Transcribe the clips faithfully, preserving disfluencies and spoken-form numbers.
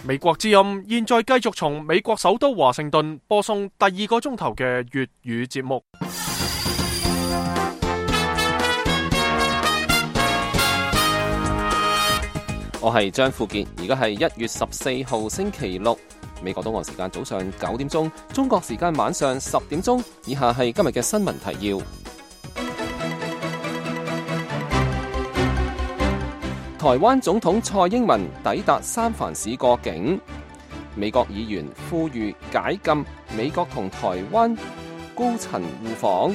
美國之音現在繼續從美國首都華盛頓播送第二個鐘頭嘅粵語節目。我係張富傑，而家係一月十四號星期六，美國東岸時間早上九點鐘，中國時間晚上十點鐘。以下係今日嘅新聞提要。台灣總統蔡英文抵達三藩市過境，美國議員呼籲解禁美國同台灣高層互訪。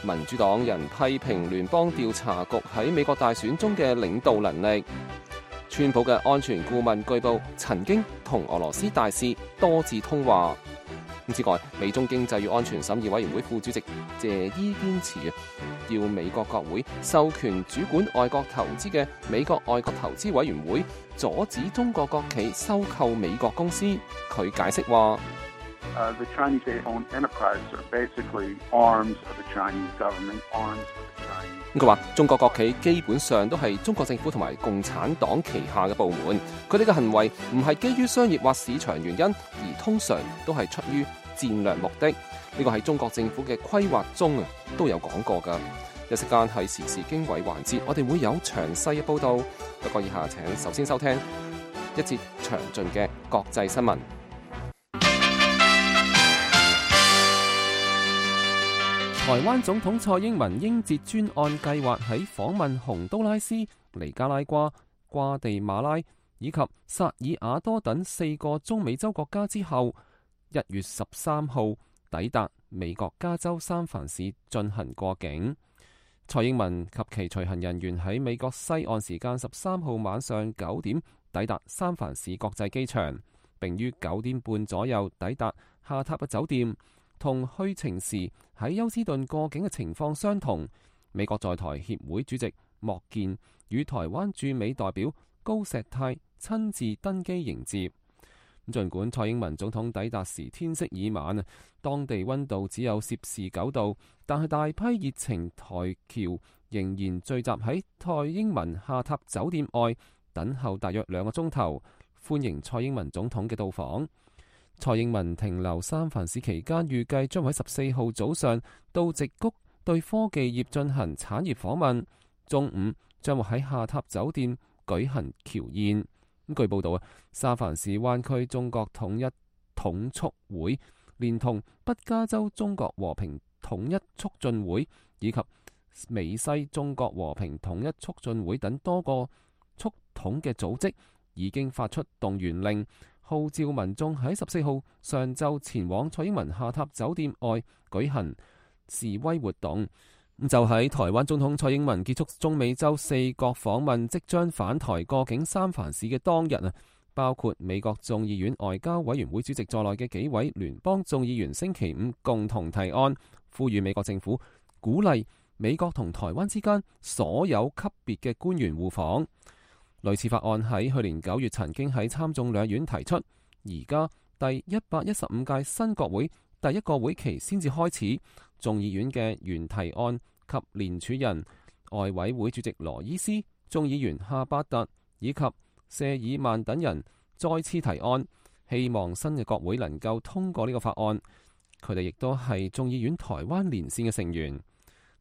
民主黨人批評聯邦調查局喺美國大選中嘅領導能力。川普嘅安全顧問據報曾經同俄羅斯大使多次通話。之外，美中經濟與安全審議委員會副主席謝伊堅持要美國國會授權主管外國投資嘅美國外國投資委員會阻止中國國企收購美國公司。佢解釋話Uh, the Chinese state-owned enterprises are basically arms of the Chinese government, arms of the Chinese. 佢話中國國企基本上都係中國政府同埋共產黨旗下嘅部門，佢哋嘅行為唔係基於商業或市場原因，而通常都係出於戰略目的。呢個喺中國政府嘅規劃中啊都有講過㗎。一時間係時事經緯環節，我哋會有詳細嘅報導。不過以下請首先收聽一節詳盡嘅國際新聞。台灣總統蔡英文應節專案計劃喺訪問洪都拉斯、尼加拉瓜、瓜地馬拉以及薩爾瓦多等四個中美洲國家之後，一月十三號抵達美國加州三藩市進行過境。蔡英文及其隨行人員喺美國西岸時間十三號晚上九點抵達三藩市國際機場，並於九點半左右抵達下榻嘅酒店。同去程時喺休斯頓過境嘅情況相同。美國在台協會主席莫健與台灣駐美代表高石泰親自登機迎接。儘管蔡英文總統抵達時天色已晚啊，當地溫度只有攝氏九度，但係大批熱情台僑仍然聚集喺蔡英文下榻酒店外等候大約兩個鐘頭，歡迎蔡英文總統嘅到訪。蔡英文停留三藩市期間，預計將喺十四號早上到矽谷對科技業進行產業訪問，中午將會喺下榻酒店舉行僑宴。據報道啊，三藩市灣區中國統一統促會連同北加州中國和平統一促進會以及美西中國和平統一促進會等多個促統嘅組織已經發出動員令，號召民眾喺十四號上晝前往蔡英文下榻酒店外舉行示威活動。就喺台灣總統蔡英文結束中美洲四國訪問，即將返台過境三藩市嘅當日啊，包括美國眾議院外交委員會主席在內嘅幾位聯邦眾議員星期五共同提案，呼籲美國政府鼓勵美國同台灣之間所有級別嘅官員互訪。類似法案喺去年九月曾經喺參眾兩院提出，而家第一百一十五屆新國會第一個會期先至開始，眾議院嘅原提案及聯署人外委會主席羅伊斯、眾議員夏伯特以及謝爾曼等人再次提案，希望新嘅國會能夠通過呢個法案。佢哋亦都係眾議院台灣連線嘅成員。呢、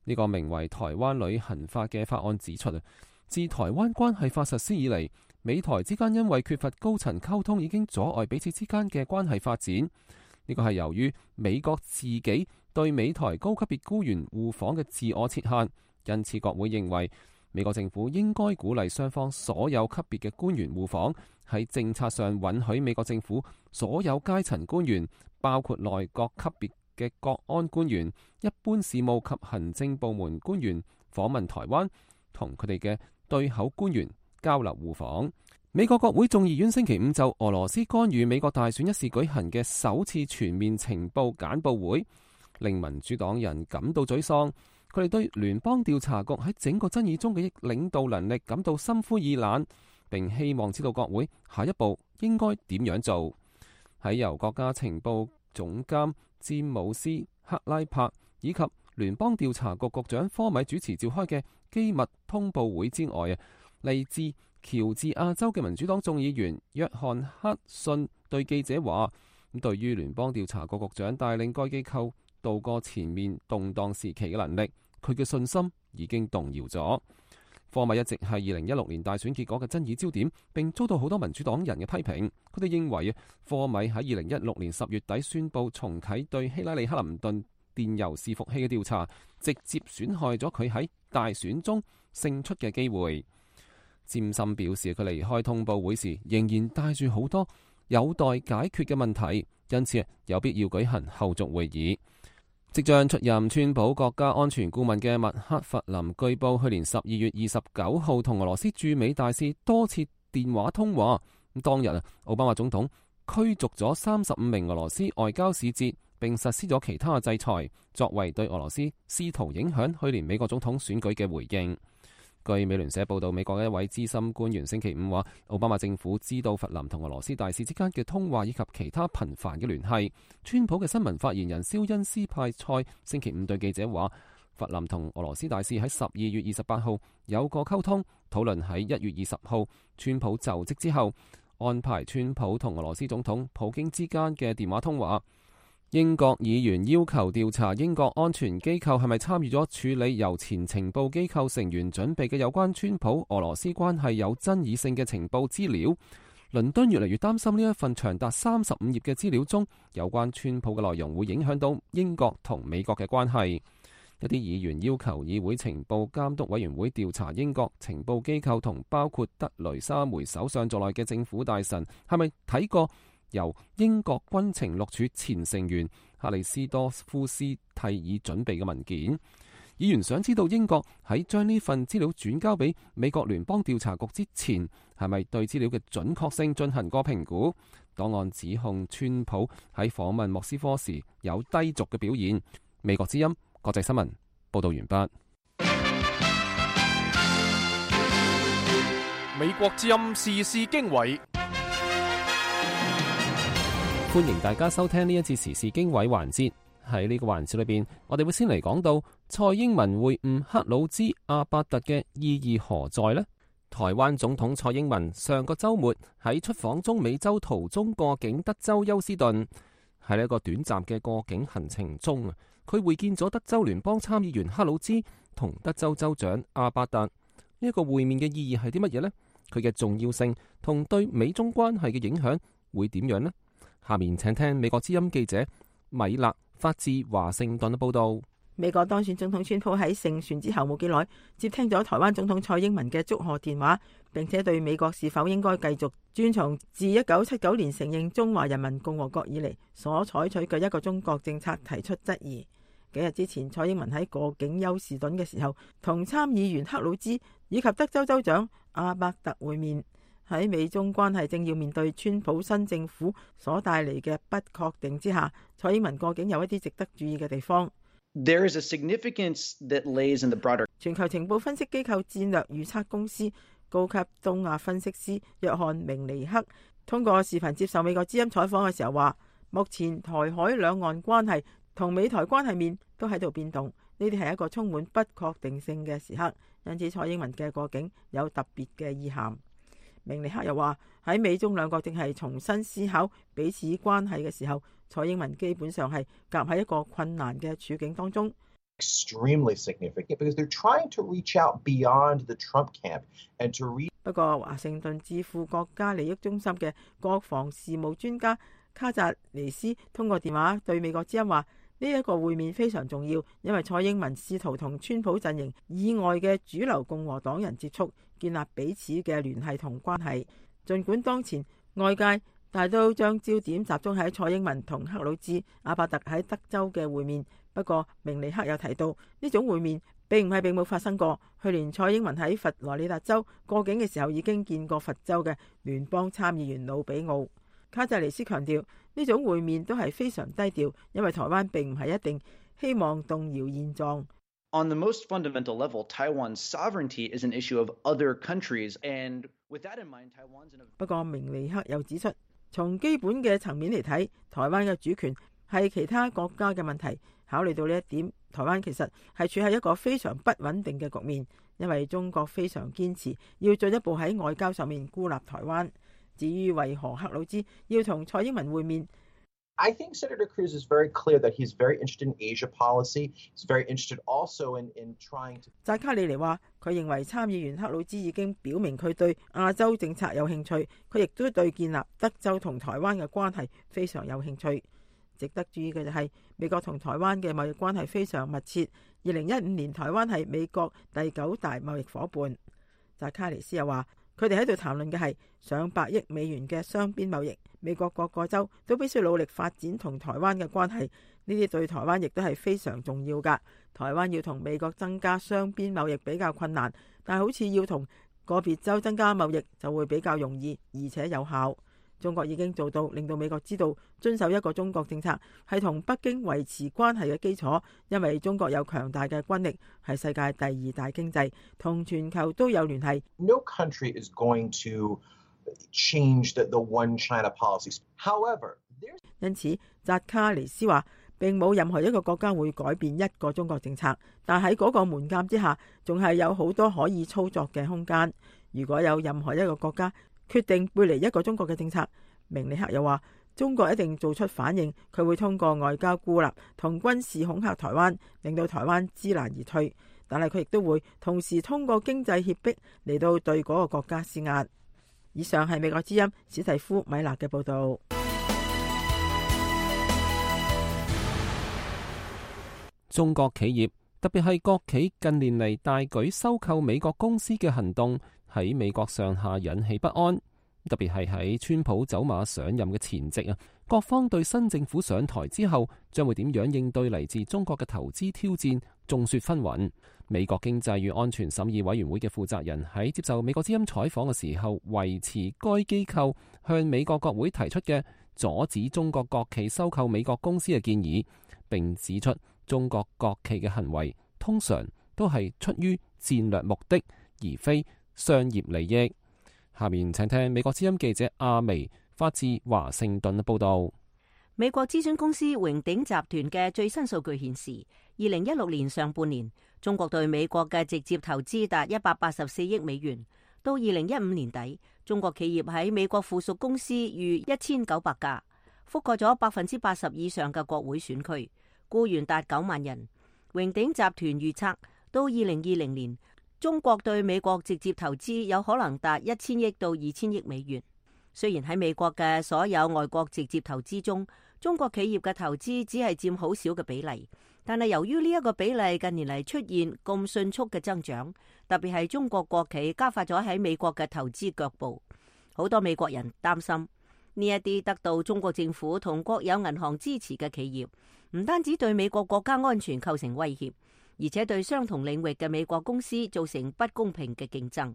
這個名為《台灣旅行法》嘅法案指出啊，自台灣關係法實施以嚟，美台之間因為缺乏高層溝通，已經阻礙彼此之間嘅關係發展。呢個係由於美國自己對美台高級別官員互訪嘅自我設限，因此國會認為美國政府應該鼓勵雙方所有級別嘅官員互訪，喺政策上允許美國政府所有階層官員，包括內閣級別嘅國安官員、一般事務及行政部門官員訪問台灣，同佢哋嘅對口官員交流互訪。美國國會眾議院星期五就俄羅斯干預美國大選一事舉行嘅首次全面情報簡報會，令民主黨人感到沮喪。佢哋對聯邦調查局喺整個爭議中嘅領導能力感到心灰意冷，並希望知道國會下一步應該點樣做。喺由國家情報總監詹姆斯·克拉柏以及聯邦調查局局長科米主持召開嘅機密通報會之外啊，嚟自喬治亞州嘅民主黨眾議員約翰克遜對記者話：咁對於聯邦調查局局長帶領該機構渡過前面動盪時期嘅能力，佢嘅信心已經動搖咗。科米一直係二零一六年大選結果嘅爭議焦點，並遭到好多民主黨人嘅批評。佢哋認為科米喺二零一六年十月底宣布重啟對希拉里克林頓電郵伺服器嘅調查，直接損害咗佢喺大選中勝出嘅機會。詹森表示，佢離開通報會時仍然帶住好多有待解決嘅問題，因此有必要舉行後續會議。即將出任川普國家安全顧問嘅麥克弗林據報去年十二月二十九號同俄羅斯駐美大使多次電話通話。咁當日啊，奧巴馬總統驅逐咗三十五名俄羅斯外交使節，並實施咗其他制裁，作為對俄羅斯試圖影響去年美國總統選舉嘅回應。據美聯社報道，美國嘅一位資深官員星期五話，奧巴馬政府知道弗林同俄羅斯大使之間嘅通話以及其他頻繁嘅聯繫。川普嘅新聞發言人肖恩斯派塞星期五對記者話，弗林同俄羅斯大使喺十二月二十八號有過溝通，討論喺一月二十號川普就職之後安排川普同俄羅斯總統普京之間嘅電話通話。英國議員要求調查英國安全機構係咪參與咗處理由前情報機構成員準備嘅有關川普俄羅斯關係有爭議性嘅情報資料。倫敦越嚟越擔心呢一份長達三十五頁嘅資料中有關川普嘅內容會影響到英國同美國嘅關係。一啲議員要求議會情報監督委員會調查英國情報機構同包括德雷莎梅首相在內嘅政府大臣係咪睇過由英國軍情六處前成員克里斯多夫斯蒂爾準備嘅文件。議員想知道英國喺將呢份資料轉交俾美國聯邦調查局之前，係咪對資料嘅準確性進行過評估？檔案指控川普喺訪問莫斯科時有低俗嘅表現。美國之音國際新聞報道完畢。美國之音時事經緯。歡迎大家收聽呢一次時事經緯環節。喺呢個環節裏邊，我哋會先嚟講到蔡英文會晤克魯茲阿伯特嘅意義何在呢？台灣總統蔡英文上個週末喺出訪中美洲途中過境德州休斯頓，喺呢一個短暫嘅過境行程中啊，佢會見咗德州聯邦參議員克魯茲同德州州長阿伯特。呢一個會面嘅意義係啲乜嘢呢？佢嘅重要性同對美中關係嘅影響會點樣呢？下面請聽美國之音記者米勒發自華盛頓嘅報道。美國當選總統川普喺勝選之後冇幾耐，接聽咗台灣總統蔡英文嘅祝賀電話，並且對美國是否應該繼續遵從自一九七九年承認中華人民共和國以嚟所採取嘅一個中國政策提出質疑。幾日之前，蔡英文喺過境休士頓嘅時候，同參議員克魯茲以及德州州長阿伯特會面。喺美中關係正要面對川普新政府所帶嚟嘅不確定之下，蔡英文過境有一啲值得注意嘅地方。There is a significance that lays in the broader. 全球情報分析機構戰略預測公司高級東亞分析師約翰明尼克通過視頻接受美國之音採訪嘅時候話，目前台海兩岸關係同美台關係面都喺度變動，呢啲係一個充滿不確定性嘅時刻，因此蔡英文嘅過境有特別嘅意涵。明尼克又話，喺美中兩國正係重新思考彼此關係嘅時候，蔡英文基本上係夾喺一個困難嘅處境當中。Extremely significant because they're trying to reach out beyond the Trump camp and to reach. 不過華盛頓智庫國家利益中心嘅國防事務專家卡扎尼斯通過電話對美國之音話，呢一個會面非常重要，因為蔡英文試圖同川普陣營以外嘅主流共和黨人接觸，建立彼此嘅聯繫同關係。儘管當前外界大都將焦點集中喺蔡英文同克魯茲阿伯特喺德州嘅會面，不過明尼克有提到呢種會面並唔係並冇發生過。去年蔡英文喺佛羅里達州過境嘅時候已經見過佛州嘅聯邦參議員魯比奧。卡扎尼斯強調呢種會面都係非常低調，因為台灣並唔係一定希望動搖現狀。On the most fundamental level, Taiwan's sovereignty is an issue of other countries, and with that in mind, Taiwan's in a... 不過明尼克又指出，從基本嘅層面嚟睇，台灣嘅主權係其他國家嘅問題。考慮到呢一點，台灣其實係處喺一個非常不穩定嘅局面，因為中國非常堅持要進一步喺外交上面孤立台灣。至於為何克魯茲要同蔡英文會面， I think Senator Cruz is very clear that he's very interested in Asia policy. He's very interested also in, in trying to... 扎卡里尼話，佢認為參議員克魯茲已經表明佢對亞洲政策有興趣，佢亦都對建立德州同台灣嘅關係非常有興趣。值得注意嘅就係美國同台灣嘅貿易關係非常密切。二零一五年台灣係美國第九大貿易夥伴。扎卡里斯又話，佢哋喺度談論嘅係上百億美元嘅雙邊貿易，美國各個州都必須努力發展同台灣嘅關係，呢啲對台灣亦都係非常重要㗎。台灣要同美國增加雙邊貿易比較困難，但係好似要同個別州增加貿易就會比較容易，而且有效。中國已經做到令到美國知道遵守一個中國政策係同北京維持關係嘅基礎，因為中國有強大嘅軍力，係世界第二大經濟，同全球都有聯繫。No country is going to change the, the one China policies. However, there's... 因此，扎卡尼斯話並冇任何一個國家會改變一個中國政策，但喺嗰個門檻之下，仲係有好多可以操作嘅空間。如果有任何一個國家決定背離一個中國嘅政策，明尼克又話中國一定做出反應，佢會通過外交孤立同軍事恐嚇台灣，令到台灣知難而退。但係佢亦都會同時通過經濟脅迫嚟到對嗰個國家施壓。以上係美國之音史蒂夫米勒嘅報導。中國企業，特別係國企近年嚟大舉收購美國公司嘅行動，喺美國上下引起不安。特別係喺川普走馬上任嘅前夕啊，各方對新政府上台之後將會點樣應對嚟自中國嘅投資挑戰，眾說紛紜。美國經濟與安全審議委員會嘅負責人喺接受美國之音採訪嘅時候，維持該機構向美國國會提出嘅阻止中國國企收購美國公司嘅建議，並指出中國國企嘅行為通常都係出於戰略目的，而非商業利益。下面請聽美國之音記者阿薇發自華盛頓嘅報道。美國諮詢公司榮鼎集團嘅最新數據顯示，二零一六年上半年，中國對美國嘅直接投資達一百八十四億美元。到二零一五年底，中國企業喺美國附屬公司逾一千九百家，覆蓋咗百分之八十以上嘅國會選區，僱員達九萬人。榮鼎集團預測，到二零二零年，中國對美國直接投資有可能達一千億到二千億美元。雖然喺美國嘅所有外國直接投資中，中國企業嘅投資只係佔好少嘅比例，但係由於呢一個比例近年嚟出現咁迅速嘅增長，特別係中國國企加快咗喺美國嘅投資腳步，好多美國人擔心呢一啲得到中國政府同國有銀行支持嘅企業，唔單止對美國國家安全構成威脅，而且對相同領域嘅美國公司造成不公平嘅競爭。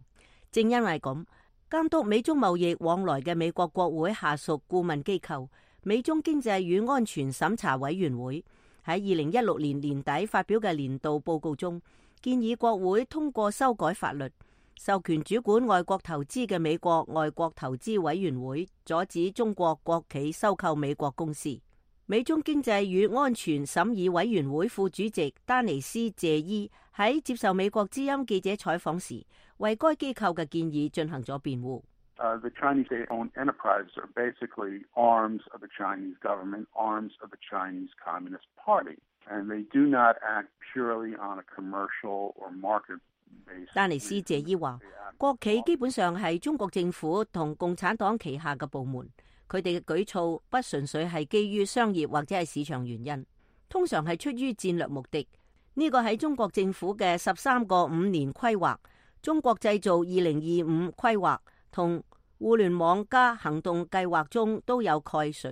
正因為咁，監督美中貿易往來嘅美國國會下屬顧問機構美中經濟與安全審查委員會喺二零一六年年底發表嘅年度報告中，建議國會通過修改法律，授權主管外國投資嘅美國外國投資委員會阻止中國國企收購美國公司。美中經濟與安全審議委員會副主席丹尼斯謝伊喺接受美國之音記者採訪時，為該機構嘅建議進行咗辯護。Uh, the Chinese state-owned enterprises are basically arms of the Chinese government, arms of the Chinese Communist Party, and they do not act purely on a commercial or market basis. 丹尼斯謝伊話，國企基本上係中國政府同共產黨旗下嘅部門，佢哋嘅舉措不純粹係基於商業或者係市場原因，通常係出於戰略目的。呢個喺中國政府嘅十三個五年規劃、中國製造二零二五規劃同互聯網加行動計劃中都有概述。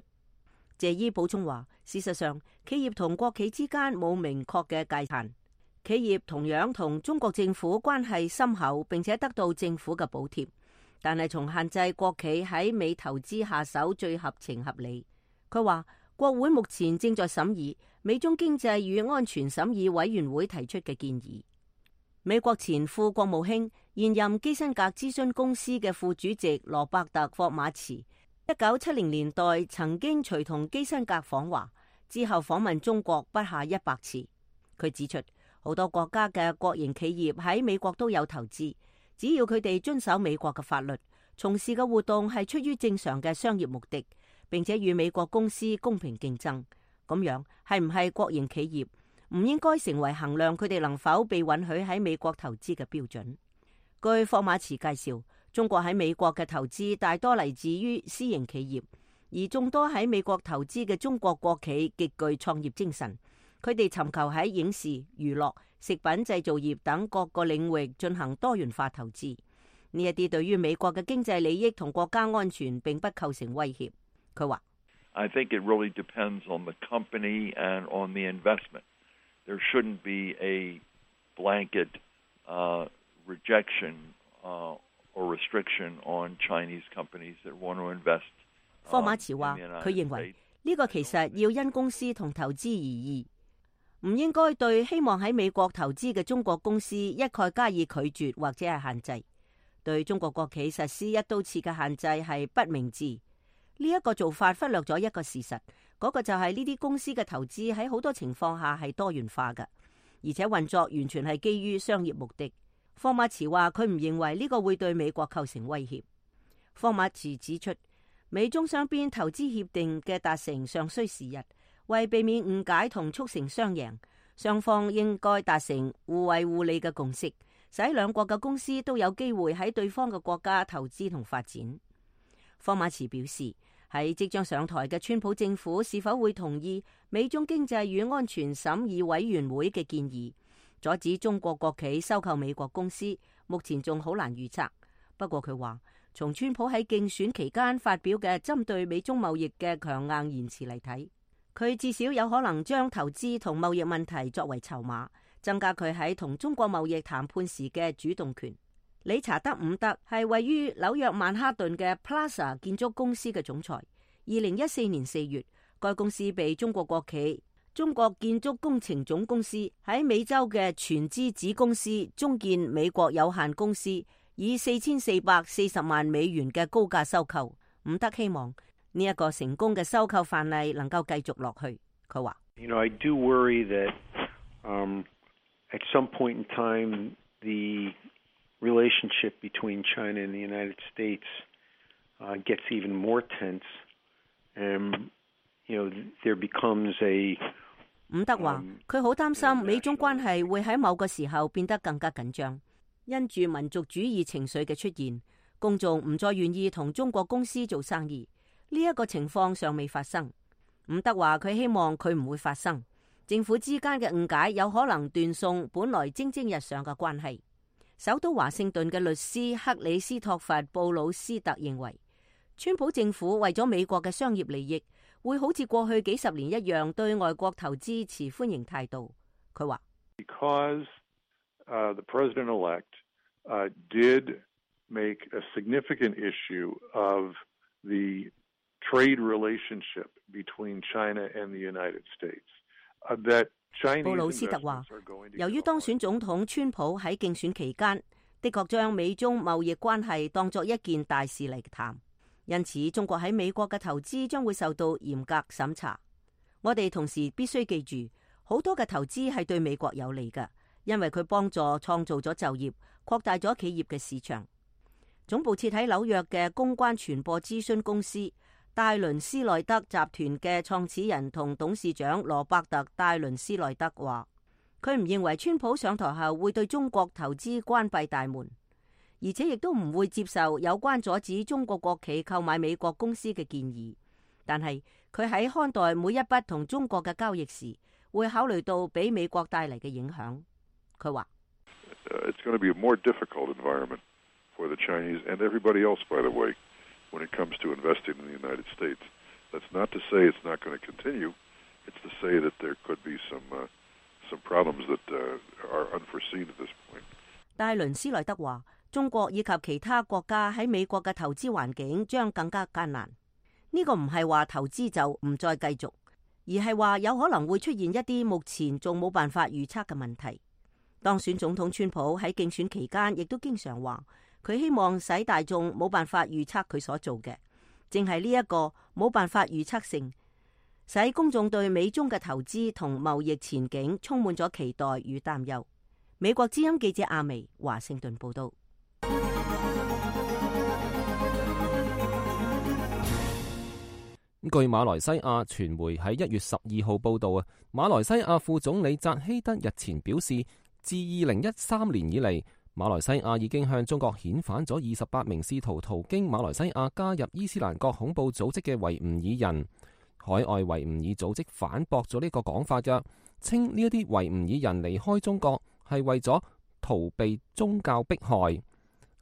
謝伊補充話，事實上，企業同國企之間冇明確嘅界限，企業同樣同中國政府關係深厚，並且得到政府嘅補貼。但係從限制國企喺美投資下手最合情合理。佢話，國會目前正在審議美中經濟與安全審議委員會提出嘅建議。美國前副國務卿、現任基辛格諮詢公司嘅副主席羅伯特霍馬茨，一九七零年代曾經隨同基辛格訪華，之後訪問中國不下一百次。佢指出，好多國家嘅國營企業喺美國都有投資，只要佢哋遵守美國嘅法律，從事嘅活動係出於正常嘅商業目的，並且與美國公司公平競爭，咁樣係唔係國營企業唔應該成為衡量佢哋能否被允許喺美國投資嘅標準。據霍馬茨介紹，中國喺美國嘅投資大多嚟自於私營企業，而眾多喺美國投資嘅中國國企極具創業精神，佢哋尋求喺影視、娛樂、食品製造業等各個領域進行多元化投資。呢一啲對於美國嘅經濟利益同國家安全並不構成威脅。佢話 I think it really depends on the company and on the investment. There shouldn't be a blanket uh, rejection uh, or restriction on Chinese companies that want to invest. 霍馬茨話，佢認為呢個其實要因公司同投資而異，唔應該對希望喺美國投資嘅中國公司一概加以拒絕或者係限制。對中國國企實施一刀切嘅限制係不明智。呢一個做法忽略咗一個事實，嗰個就係呢啲公司嘅投資喺好多情況下係多元化嘅，而且運作完全係基於商業目的。霍馬茨話佢唔認為呢個會對美國構成威脅。霍馬茨指出，美中雙邊投資協定嘅達成尚需時日，為避免誤解同促成雙贏，雙方應該達成互惠互利嘅共識，使兩國嘅公司都有機會喺對方嘅國家投資同發展。霍馬茨表示，喺即將上台嘅川普政府是否會同意美中經濟與安全審議委員會嘅建議，阻止中國國企收購美國公司，目前仲好難預測。不過佢話，從川普喺競選期間發表嘅針對美中貿易嘅強硬言辭嚟睇，佢至少有可能將投資同貿易問題作為籌碼，增加佢喺同中國貿易談判時嘅主動權。理查德伍德係位於紐約曼哈頓嘅 Plaza 建築公司嘅總裁。二零一四年四月，該公司被中國國企中國建築工程總公司喺美洲嘅全資子公司中建美國有限公司以四千四百四十萬美元嘅高價收購。伍德希望呢一個成功嘅收購範例能夠繼續落去。佢話 You know, I do worry that um, at some point in time the relationship between China and the United States uh, gets even more tense, and you know there becomes a. 伍德話：佢好擔心美中關係會喺某個時候變得更加緊張，因住民族主義情緒嘅出現，公眾唔再願意同中國公司做生意。呢一個情況尚未發生。伍德話：佢希望佢唔會發生。政府之間嘅誤解有可能斷送本來蒸蒸日上嘅關係。首都華盛頓嘅律師克里斯托弗·布魯斯特認為，川普政府為咗美國嘅商業利益，會好似過去幾十年一樣對外國投資持歡迎態度。佢話 Because uh, the president-elect uh, did make a significant issue of the trade relationship between China and the United States, uh, that布魯斯特話，由於當選總統川普喺競選期間的確將美中貿易關係當作一件大事嚟談，因此中國喺美國嘅投資將會受到嚴格審查。我哋同時必須記住，好多嘅投資係對美國有利嘅，因為佢幫助創造咗就業，擴大咗企業嘅市場。總部設喺紐約嘅公關傳播諮詢公司戴倫斯內德集團嘅創始人同董事長羅伯特戴倫斯內德話，佢唔認為川普上台後會對中國投資關閉大門，而且亦都唔會接受有關阻止中國國企購買美國公司嘅建議。但係佢喺看待每一筆同中國嘅交易時，會考慮到俾美國帶嚟嘅影響。佢話 It's going to be a more difficult environment for the Chinese and everybody else, by the way.When it comes to investing in the United States, that's not to say it's not going to continue. It's to say that there could be some uh, some problems that uh, are unforeseen at this point. 戴倫斯萊德話：中國以及其他國家喺美國嘅投資環境將更加艱難。呢個唔係話投資就唔再繼續，而係話有可能會出現一啲目前仲冇辦法預測嘅問題。當選總統川普喺競選期間亦都經常話。佢希望使大眾冇辦法預測佢所做嘅，正係呢一個冇辦法預測性，使公眾對美中嘅投資同貿易前景充滿咗期待與擔憂。美國之音記者阿薇華盛頓報道。據馬來西亞傳媒喺一月十二號報道啊，馬來西亞副總理扎希德日前表示，自二零一三年以嚟，馬來西亞已經向中國遣返咗二十八名試圖途經馬來西亞加入伊斯蘭國恐怖組織嘅維吾爾人。海外維吾爾組織反駁咗呢個講法嘅，稱呢一啲維吾爾人離開中國係為咗逃避宗教迫害。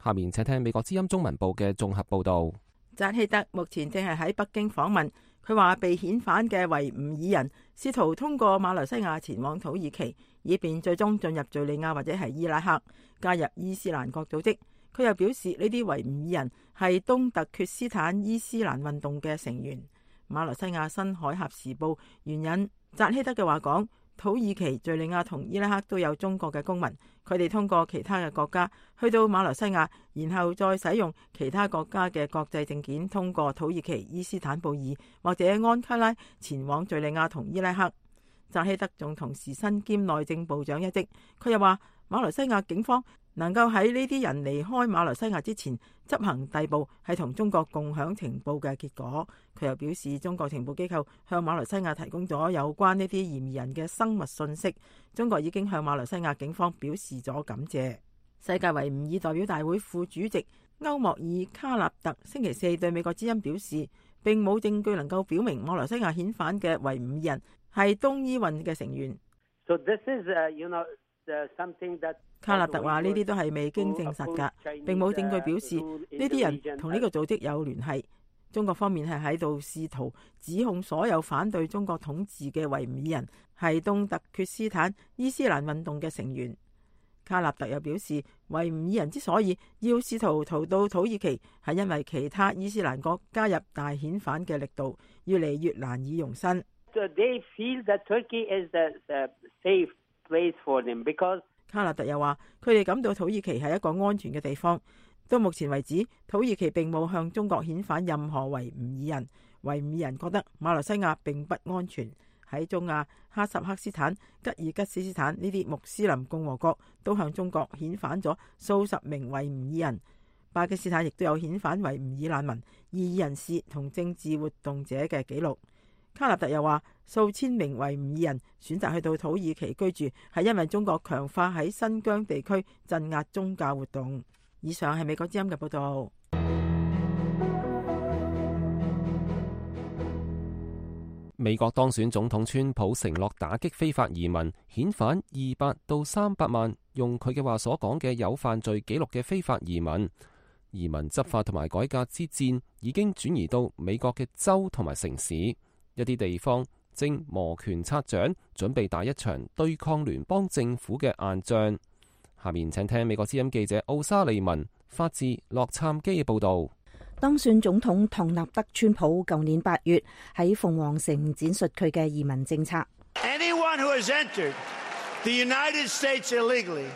下面請聽美國之音中文部嘅綜合報道。扎希德目前正係喺北京訪問，佢話被遣返嘅維吾爾人試圖通過馬來西亞前往土耳其，以便最終進入敘利亞或者係伊拉克加入伊斯蘭國組織。佢又表示呢啲維吾爾人係東突厥斯坦伊斯蘭運動嘅成員。馬來西亞新海峽時報援引扎希德嘅話講，土耳其、敘利亞同伊拉克都有中國嘅公民，佢哋通過其他嘅國家去到馬來西亞，然後再使用其他國家嘅國際證件通過土耳其伊斯坦布爾或者安卡拉前往敘利亞同伊拉克。扎希德仲同時身兼內政部長一職。佢又話馬來西亞警方能夠喺呢啲人離開馬來西亞之前執行逮捕，係同中國共享情報嘅結果。佢又表示，中國情報機構向馬來西亞提供咗有關呢啲嫌疑人嘅生物信息，中國已經向馬來西亞警方表示咗感謝。世界維吾爾代表大會副主席歐莫爾卡納特星期四對美國之音表示，並冇證據能夠表明馬來西亞遣返嘅維吾爾人係東伊運嘅成員。So this is, uh, you know, uh, something that卡納特話呢啲都係未經證實㗎，並冇證據表示呢啲人同呢個組織有聯繫。中國方面係喺度試圖指控所有反對中國統治嘅維吾爾人係東突厥斯坦伊斯蘭運動嘅成員。卡納特又表示，維吾爾人之所以要試圖逃到土耳其，係因為其他伊斯蘭國加入大遣返嘅力度越嚟越難以容身。So they feel that Turkey is the, the safe place for them because卡納特又話，佢哋感到土耳其係一個安全嘅地方。到目前為止，土耳其並冇向中國遣返任何維吾爾人。維吾爾人覺得馬來西亞並不安全。喺中亞、哈薩克斯坦、吉爾吉斯斯坦呢啲穆斯林共和國都向中國遣返咗數十名維吾爾人。巴基斯坦亦都有遣返維吾爾難民、異議人士同政治活動者嘅記錄。卡納特又話，數千名維吾爾人選擇去到土耳其居住，係因為中國強化喺新疆地區鎮壓宗教活動。以上係美國之音嘅報道。美國當選總統川普承諾打擊非法移民，遣返二百到三百萬用佢嘅話所講嘅有犯罪記錄嘅非法移民。移民執法同埋改革之戰已經轉移到美國嘅州同埋城市。一啲地方正摩拳擦掌，準備打一場對抗聯邦政府嘅硬仗。下面請聽美國之音記者奧沙利文發自洛杉磯嘅報道。當選總統唐納德川普舊年八月喺鳳凰城展述佢嘅移民政策。Anyone who has entered the United States illegally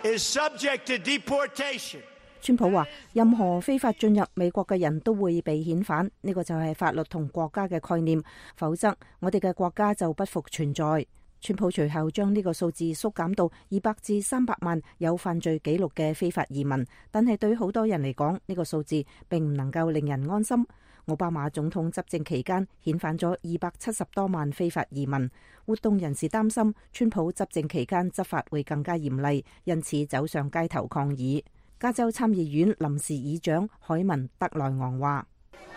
is subject to deportation. 川普話，任何非法進入美國嘅人都會被遣返，呢個就係法律同國家嘅概念，否則我哋嘅國家就不復存在。川普隨後將呢個數字縮減到二百至三百萬有犯罪記錄嘅非法移民，但係對好多人嚟講，呢個數字並唔能夠令人安心。奧巴馬總統執政期間遣返咗二百七十多萬非法移民，活動人士擔心川普執政期間執法會更加嚴厲，因此走上街頭抗議。加州參議院臨時議長海文德萊昂話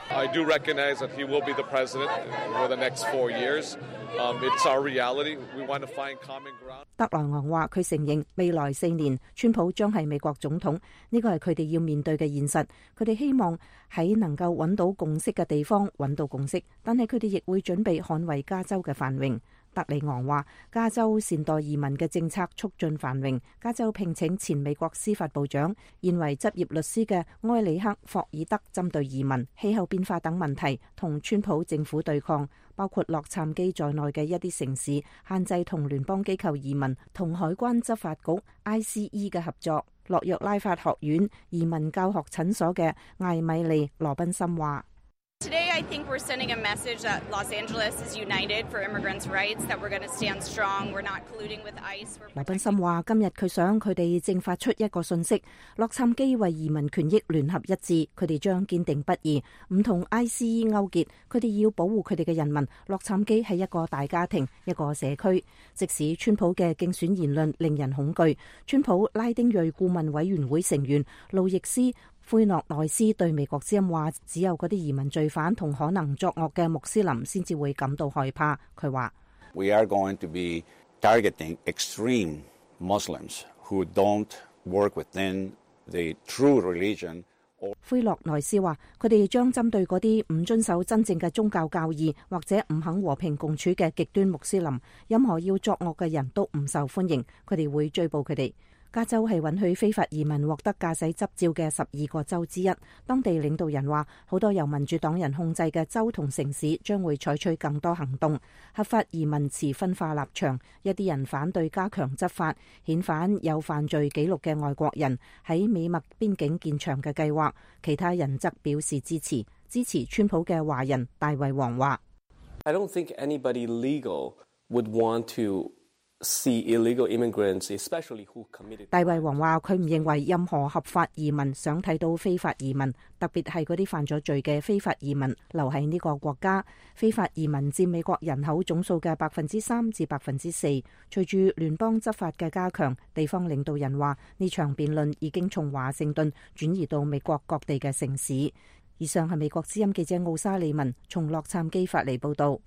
：I do recognize that he will be the president for the next four years. Um, it's our reality. We want to find common ground. 德萊昂話：佢承認未來四年川普將係美國總統，呢個係佢哋要面對嘅現實。佢哋希望喺能夠揾到共識嘅地方揾到共識，但係佢哋亦會準備捍衛加州嘅繁榮。德里昂話：加州善待移民嘅政策促進繁榮。加州聘請前美國司法部長、現為執業律師嘅埃里克霍爾德針對移民、氣候變化等問題同川普政府對抗，包括洛杉磯在內嘅一啲城市限制同聯邦機構移民同海關執法局 I C E 嘅合作。洛約拉法學院移民教學診所嘅艾米莉羅賓森話。Today, I think we're sending a message that Los Angeles is united for immigrants' rights, that we're going to stand strong, we're not colluding with ICE. 羅賓森話：今日佢想佢哋正發出一個訊息，洛杉磯為移民權益聯合一致，佢哋將堅定不移，唔同 I C E 勾結，佢哋要保護佢哋嘅人民。洛杉磯係一個大家庭，一個社區。即使川普嘅競選言論令人恐懼，川普拉丁裔顧問委員會成員路易斯奎諾內斯對美國之音話：只有嗰啲移民罪犯同可能作惡嘅穆斯林先至會感到害怕。佢話 ：We are going to be targeting extreme Muslims who don't work within the true religion. 奎諾內斯話：佢哋將針對嗰啲唔遵守真正嘅宗教教義或者唔肯和平共處嘅極端穆斯林，任何要作惡嘅人都唔受歡迎，佢哋會追捕佢哋。加州係允許非法移民獲得駕駛執照嘅十二個州之一。當地領導人話，好多由民主黨人控制嘅州同城市將會採取更多行動。合法移民持分化立場，一啲人反對加強執法，遣返有犯罪記錄嘅外國人喺美墨邊境建牆嘅計劃。其他人則表示支持。支持川普嘅華人大衛王話 I don't think anybody legal would want to see illegal immigrants, especially who committed. 大衛王話：佢唔認為任何合法移民想睇到非法移民，特別係嗰啲犯咗罪嘅非法移民留喺呢個國家。非法移民佔美國人口總數嘅百分之三至百分之四。隨住聯邦執法嘅加強，地方領導人話呢場辯論已經從華盛頓轉移到美國各地嘅城市。以上係美國之音記者奧沙利文從洛杉磯發嚟報導。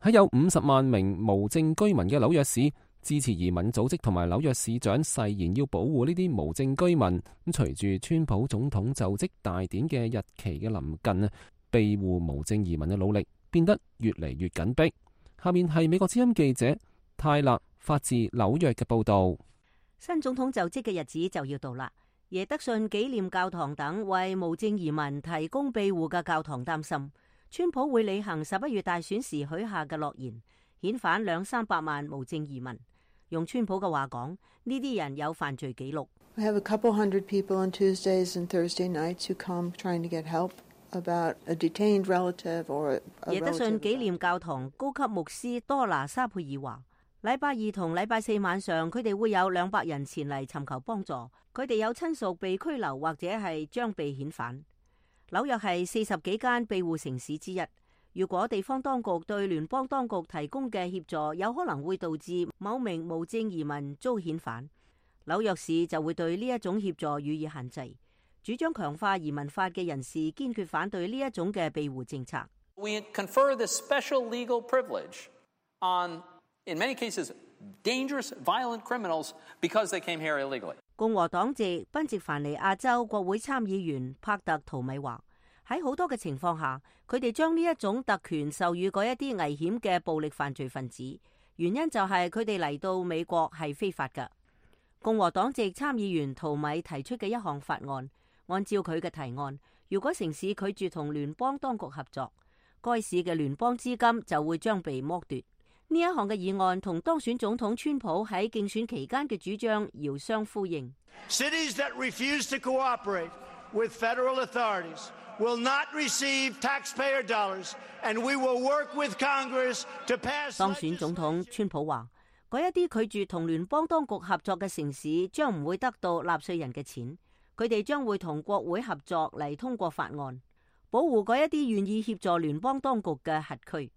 喺有五十萬名無證居民嘅紐約市，支持移民組織同埋紐約市長誓言要保護呢啲無證居民。咁隨住川普總統就職大典嘅日期嘅臨近啊，庇護無證移民嘅努力變得越嚟越緊迫。下面係美國之音記者泰勒發自紐約嘅報導。新總統就職嘅日子就要到啦。耶德遜紀念教堂等為無證移民提供庇護嘅教堂擔心川普會履行十一月大選時許下嘅諾言，遣返兩三百萬無證移民。用川普嘅話講，呢啲人有犯罪記錄。We have a couple hundred people on Tuesdays and Thursday nights who come trying to get help about a detained relative or a relative. 耶德遜紀念教堂高級牧師多拿沙佩爾話，禮拜二同禮拜四晚上，佢哋會有兩百人前嚟尋求幫助，佢哋有親屬被拘留或者係將被遣返。紐約係四十幾間庇護城市之一。如果地方當局對聯邦當局提供嘅協助有可能會導致某名無證移民遭遣返，紐約市就會對呢一種協助予以限制。主張強化移民法嘅人士堅決反對呢一種嘅庇護政策。We confer this special legal privilege on, in many cases, dangerous, violent criminals because they came here illegally. 共和黨籍賓夕凡尼亞州國會參議員帕特圖米話：喺好多嘅情況下，佢哋將呢一種特權授予嗰一啲危險嘅暴力犯罪分子，原因就係佢哋嚟到美國係非法㗎。共和黨籍參議員圖米提出嘅一項法案，按照佢嘅提案，如果城市拒絕同聯邦當局合作，該市嘅聯邦資金就會將被剝奪。呢一項嘅議案同當選總統川普喺競選期間嘅主張遙相呼應。Cities that refuse to cooperate with federal authorities will not receive taxpayer dollars, and we will work with Congress to pass. 當選總統川普話：嗰一啲拒絕同聯邦當局合作嘅城市將唔會得到納稅人嘅錢，佢哋將會同國會合作嚟通過法案，保護嗰一啲願意協助聯邦當局嘅轄區。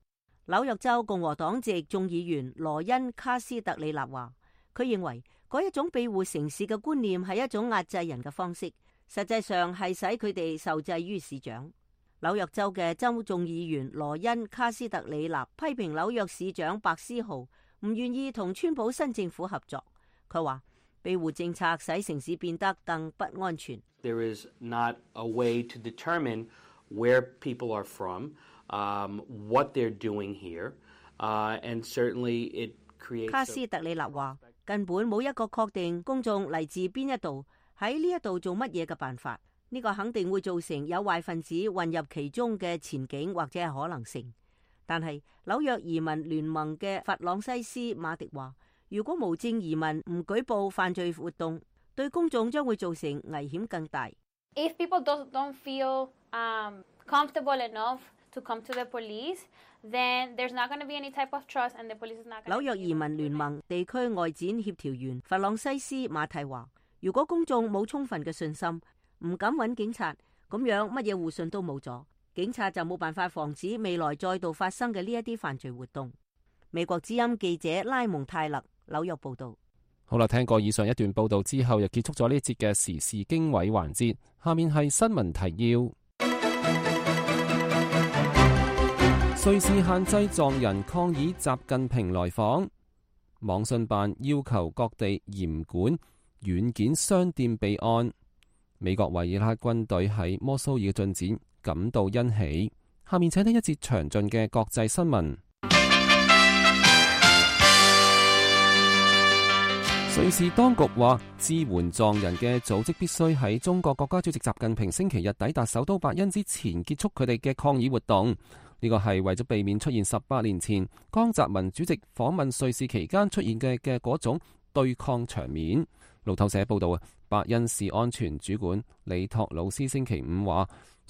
紐約州共和黨籍眾議員羅恩卡斯特里納話：佢認為嗰一種庇護城市嘅觀念係一種壓制人嘅方式，實際上係使佢哋受制於市長。紐約州嘅州眾議員羅恩卡斯特里納批評紐約市長白思豪唔願意同川普新政府合作。佢話庇護政策使城市變得更不安全。There is not a way to determine where people are from, um, what they're doing here, uh, and certainly it creates. 卡斯特里納話：根本冇一個確定公眾嚟自邊一度，喺呢一度做乜嘢嘅辦法。呢個肯定會造成有壞分子混入其中嘅前景或者係可能性。但係紐約移民聯盟嘅弗朗西斯馬迪話：如果無證移民唔舉報犯罪活動，對公眾將會造成危險更大。If people don't don't feel um, comfortable enough to come to the police, then there's not going to be any type of trust, and the police is not going to. 紐約移民聯盟地區外展協調員弗朗西斯馬蒂話：如果公眾冇充分嘅信心，唔敢揾警察，咁樣乜嘢互信都冇咗，警察就冇辦法防止未來再度發生嘅呢一啲犯罪活動。美國之音記者拉蒙泰勒紐約報道。好啦，聽過以上一段報道之後，又結束咗呢一節嘅時事經緯環節。下面係新聞提要。瑞士限制藏人抗議習近平來訪，網信辦要求各地嚴管軟件商店備案。美國為伊拉克軍隊喺摩蘇爾嘅進展感到欣喜。下面請聽一節詳盡嘅國際新聞。瑞士當局話，支援藏人嘅組織必須喺中國國家主席習近平星期日抵達首都伯恩之前結束佢哋嘅抗議活動。呢個係為咗避免出現十八年前江澤民主席訪問瑞士期間出現嘅嘅嗰種對抗場面。路透社報道啊，伯恩市安全主管李托魯斯星期五話，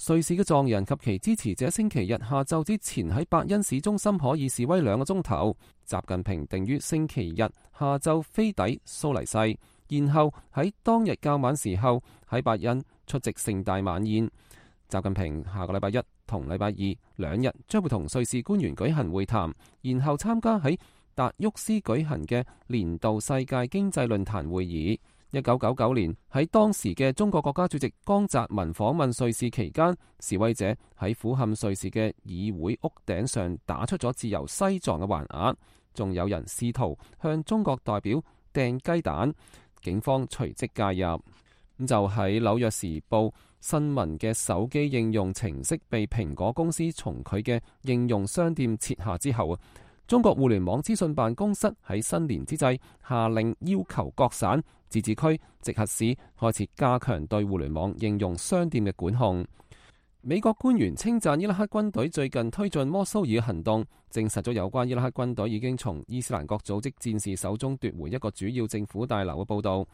瑞士嘅藏人及其支持者星期日下晝之前喺伯恩市中心可以示威兩個鐘頭。習近平定於星期日下晝飛抵蘇黎世，然後喺當日較晚時候喺伯恩出席盛大晚宴。習近平下個禮拜一同禮拜二兩日將會同瑞士官員舉行會談，然後參加喺達沃斯舉行嘅年度世界經濟論壇會議。一九九九年喺當時嘅中國國家主席江澤民訪問瑞士期間，示威者喺俯瞰瑞士嘅議會屋頂上打出咗自由西藏嘅橫額，仲有人試圖向中國代表掟雞蛋，警方隨即介入。咁就喺紐約時報新聞嘅手機應用程式被蘋果公司從佢嘅應用商店撤下之後啊，中國互聯網資訊辦公室喺新年之際下令要求各省、自治區、直轄市開始加強對互聯網應用商店嘅管控。美國官員稱讚伊拉克軍隊最近推進摩蘇爾行動，證實咗有關伊拉克軍隊已經從伊斯蘭國組織戰士手中奪回一個主要政府大樓嘅報導。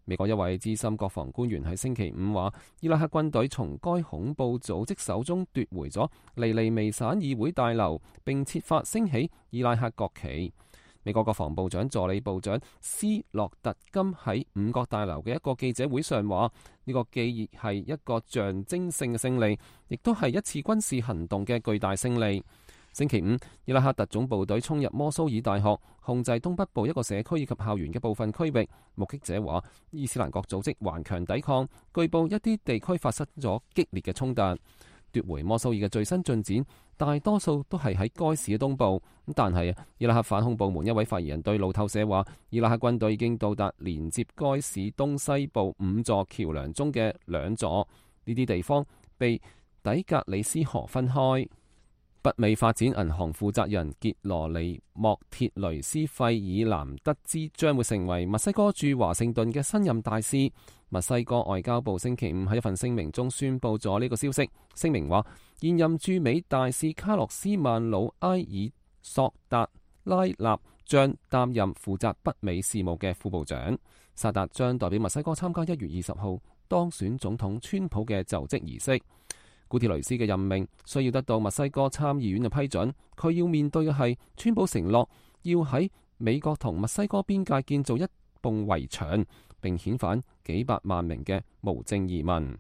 美國一位資深國防官員喺星期五話，伊拉克軍隊從該恐怖組織手中奪回咗尼尼微省議會大樓，並設法升起伊拉克國旗。美國國防部長助理部長斯洛特金喺五角大樓嘅一個記者會上話，呢個既係一個象徵性嘅勝利，亦都係一次軍事行動嘅巨大勝利。星期五，伊拉克特種部隊衝入摩蘇爾大學，控制東北部一個社區以及校園嘅部分區域。目擊者話，伊斯蘭國組織頑強抵抗，據報一啲地區發生咗激烈嘅衝突。奪回摩蘇爾嘅最新進展，大多數都係喺該市嘅東部。但係伊拉克反恐部門一位發言人對路透社話，伊拉克軍隊已經到達連接該市東西部五座橋梁中嘅兩座，呢啲地方被底格里斯河分開。北美發展銀行負責人傑羅尼莫鐵雷斯費爾南得知將會成為墨西哥駐華盛頓嘅新任大使。墨西哥外交部星期五喺一份聲明中宣布咗呢個消息。聲明話，現任駐美大使卡洛斯曼魯埃爾索達拉納將擔任負責北美事務嘅副部長。薩達將代表墨西哥參加一月二十號當選總統川普嘅就職儀式。古鐵雷斯嘅任命需要得到墨西哥參議院嘅批准，佢要面對嘅係川普承諾要喺美國同墨西哥邊界建造一埲圍牆，並遣返幾百萬名嘅無證移民。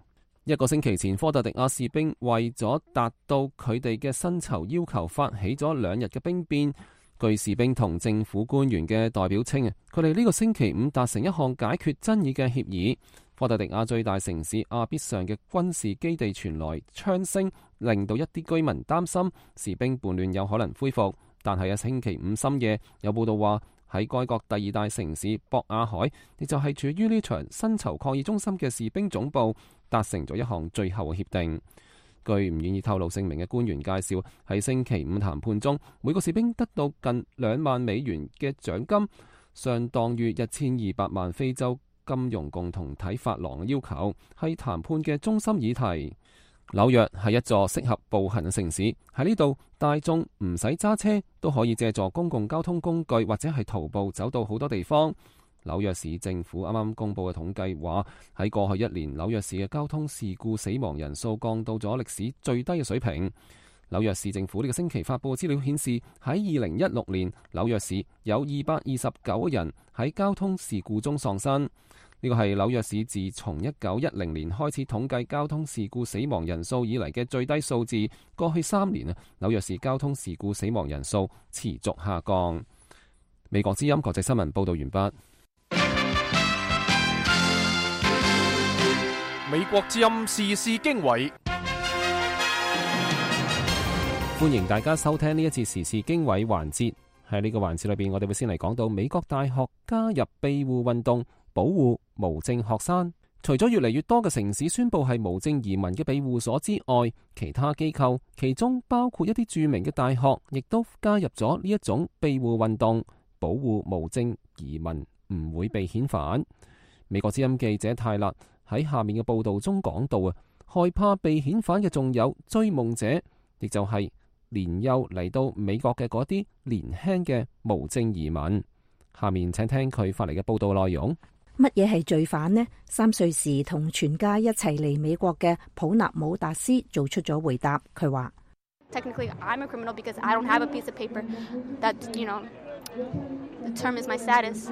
一個星期前，科特迪瓦士兵為咗達到佢哋嘅薪酬要求，發起咗兩日嘅兵變。據士兵同政府官員嘅代表稱啊，佢哋呢個星期五達成一項解決爭議嘅協議。科特迪瓦最大城市阿必上嘅軍事基地傳來槍聲，令到一啲居民擔心士兵叛亂有可能恢復。但係喺星期五深夜，有報道話喺該國第二大城市博亞海，亦就係處於呢場薪酬抗議中心嘅士兵總部，達成咗一項最後嘅協定。據唔願意透露姓名嘅官員介紹，喺星期五談判中，每個士兵得到近兩萬美元嘅獎金，相當於一千二百萬非洲金融共同體法郎嘅要求，係談判嘅中心議題。紐約係一座適合步行嘅城市，喺呢度大眾唔使揸車都可以借助公共交通工具或者係徒步走到好多地方。紐約市政府啱啱公布嘅統計話，喺過去一年紐約市嘅交通事故死亡人數降到咗歷史最低嘅水平。紐約市政府呢個星期發布嘅資料顯示，喺二零一六年紐約市有二百二十九人喺交通事故中喪生。呢個係紐約市自從一九一零年開始統計交通事故死亡人數以嚟嘅最低數字。過去三年啊，紐約市交通事故死亡人數持續下降。美國之音國際新聞報道完畢。美國之音時事經緯，歡迎大家收聽呢一次時事經緯環節。喺呢個環節裏邊，我哋會先嚟講到美國大學加入庇護運動，保護無證學生。除咗越嚟越多嘅城市宣布係無證移民嘅庇護所之外，其他機構，其中包括一啲著名嘅大學，亦都加入咗呢一種庇護運動，保護無證移民唔會被遣返。美國之音記者泰勒喺下面嘅報道中講到啊，害怕被遣返嘅仲有追夢者，亦就係年幼嚟到美國嘅嗰啲年輕嘅無證移民。下面請聽佢發嚟嘅報道內容。乜嘢係罪犯呢？三歲時同全家一齊嚟美國嘅普納姆達斯做出咗回答。佢話：Technically, I'm a criminal because I don't have a piece of paper that, you know, determines my status.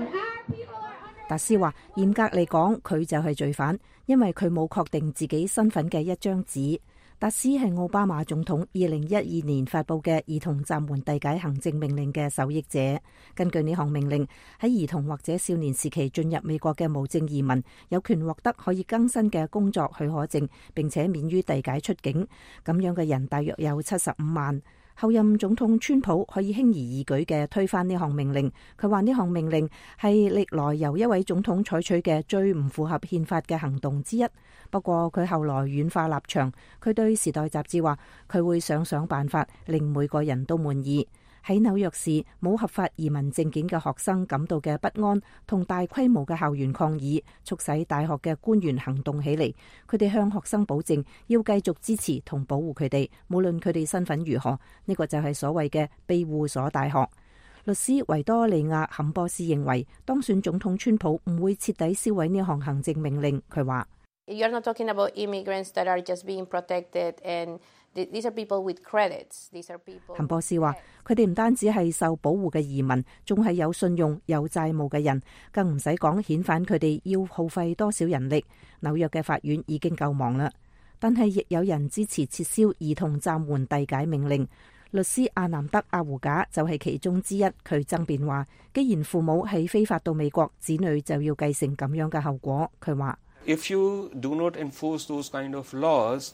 達斯話：嚴格嚟講，佢就係罪犯，因為佢冇確定自己身份嘅一張紙。達斯係奧巴馬總統二零一二年發佈嘅兒童暫緩遞解行政命令嘅受益者。根據呢項命令，喺兒童或者少年時期進入美國嘅無證移民，有權獲得可以更新嘅工作許可證，並且免於遞解出境。咁樣嘅人大約有七十五萬。後任總統川普可以輕而易舉嘅推翻呢項命令。佢話呢項命令係歷來由一位總統採取嘅最唔符合憲法嘅行動之一。不過佢後來軟化立場，佢對《時代》雜誌話佢會想想辦法令每個人都滿意。喺紐約市冇合法移民證件嘅學生感到嘅不安同大規模嘅校園抗議，促使大學嘅官員行動起嚟。佢哋向學生保證要繼續支持同保護佢哋，無論佢哋身份如何。呢個就係所謂嘅庇護所大學。律師維多利亞坎波斯認為，當選總統川普唔會徹底銷毀呢項行政命令。佢話：You're not talking about immigrants that are just being protected and these are people with credits. These are people. 坎波斯話：佢哋唔單止係受保護嘅移民，仲係有信用、有債務嘅人，更唔使講遣返佢哋要耗費多少人力。紐約嘅法院已經夠忙啦，但係亦有人支持撤銷兒童暫緩遞解命令。律師阿南德阿胡賈就係其中之一。佢爭辯話：既然父母係非法到美國，子女就要繼承咁樣嘅後果。佢話：If you do not enforce those kind of laws,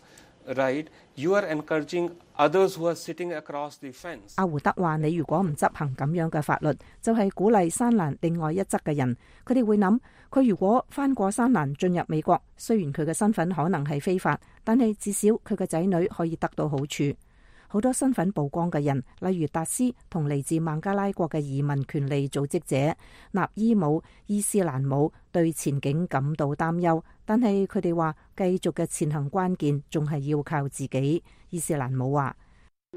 right, you are encouraging others who are sitting across the fence. 阿胡德話：你如果唔執行咁樣嘅法律，就係鼓勵山欄另外一側嘅人。佢哋會諗，佢如果翻過山欄進入美國，雖然佢嘅身份可能係非法，但係至少佢嘅仔女可以得到好處。好多身份曝光嘅人，例如達斯同嚟自孟加拉國嘅移民權利組織者納伊姆伊斯蘭姆，對前景感到擔憂，但係佢哋話繼續嘅前行關鍵仲係要靠自己。伊斯蘭姆話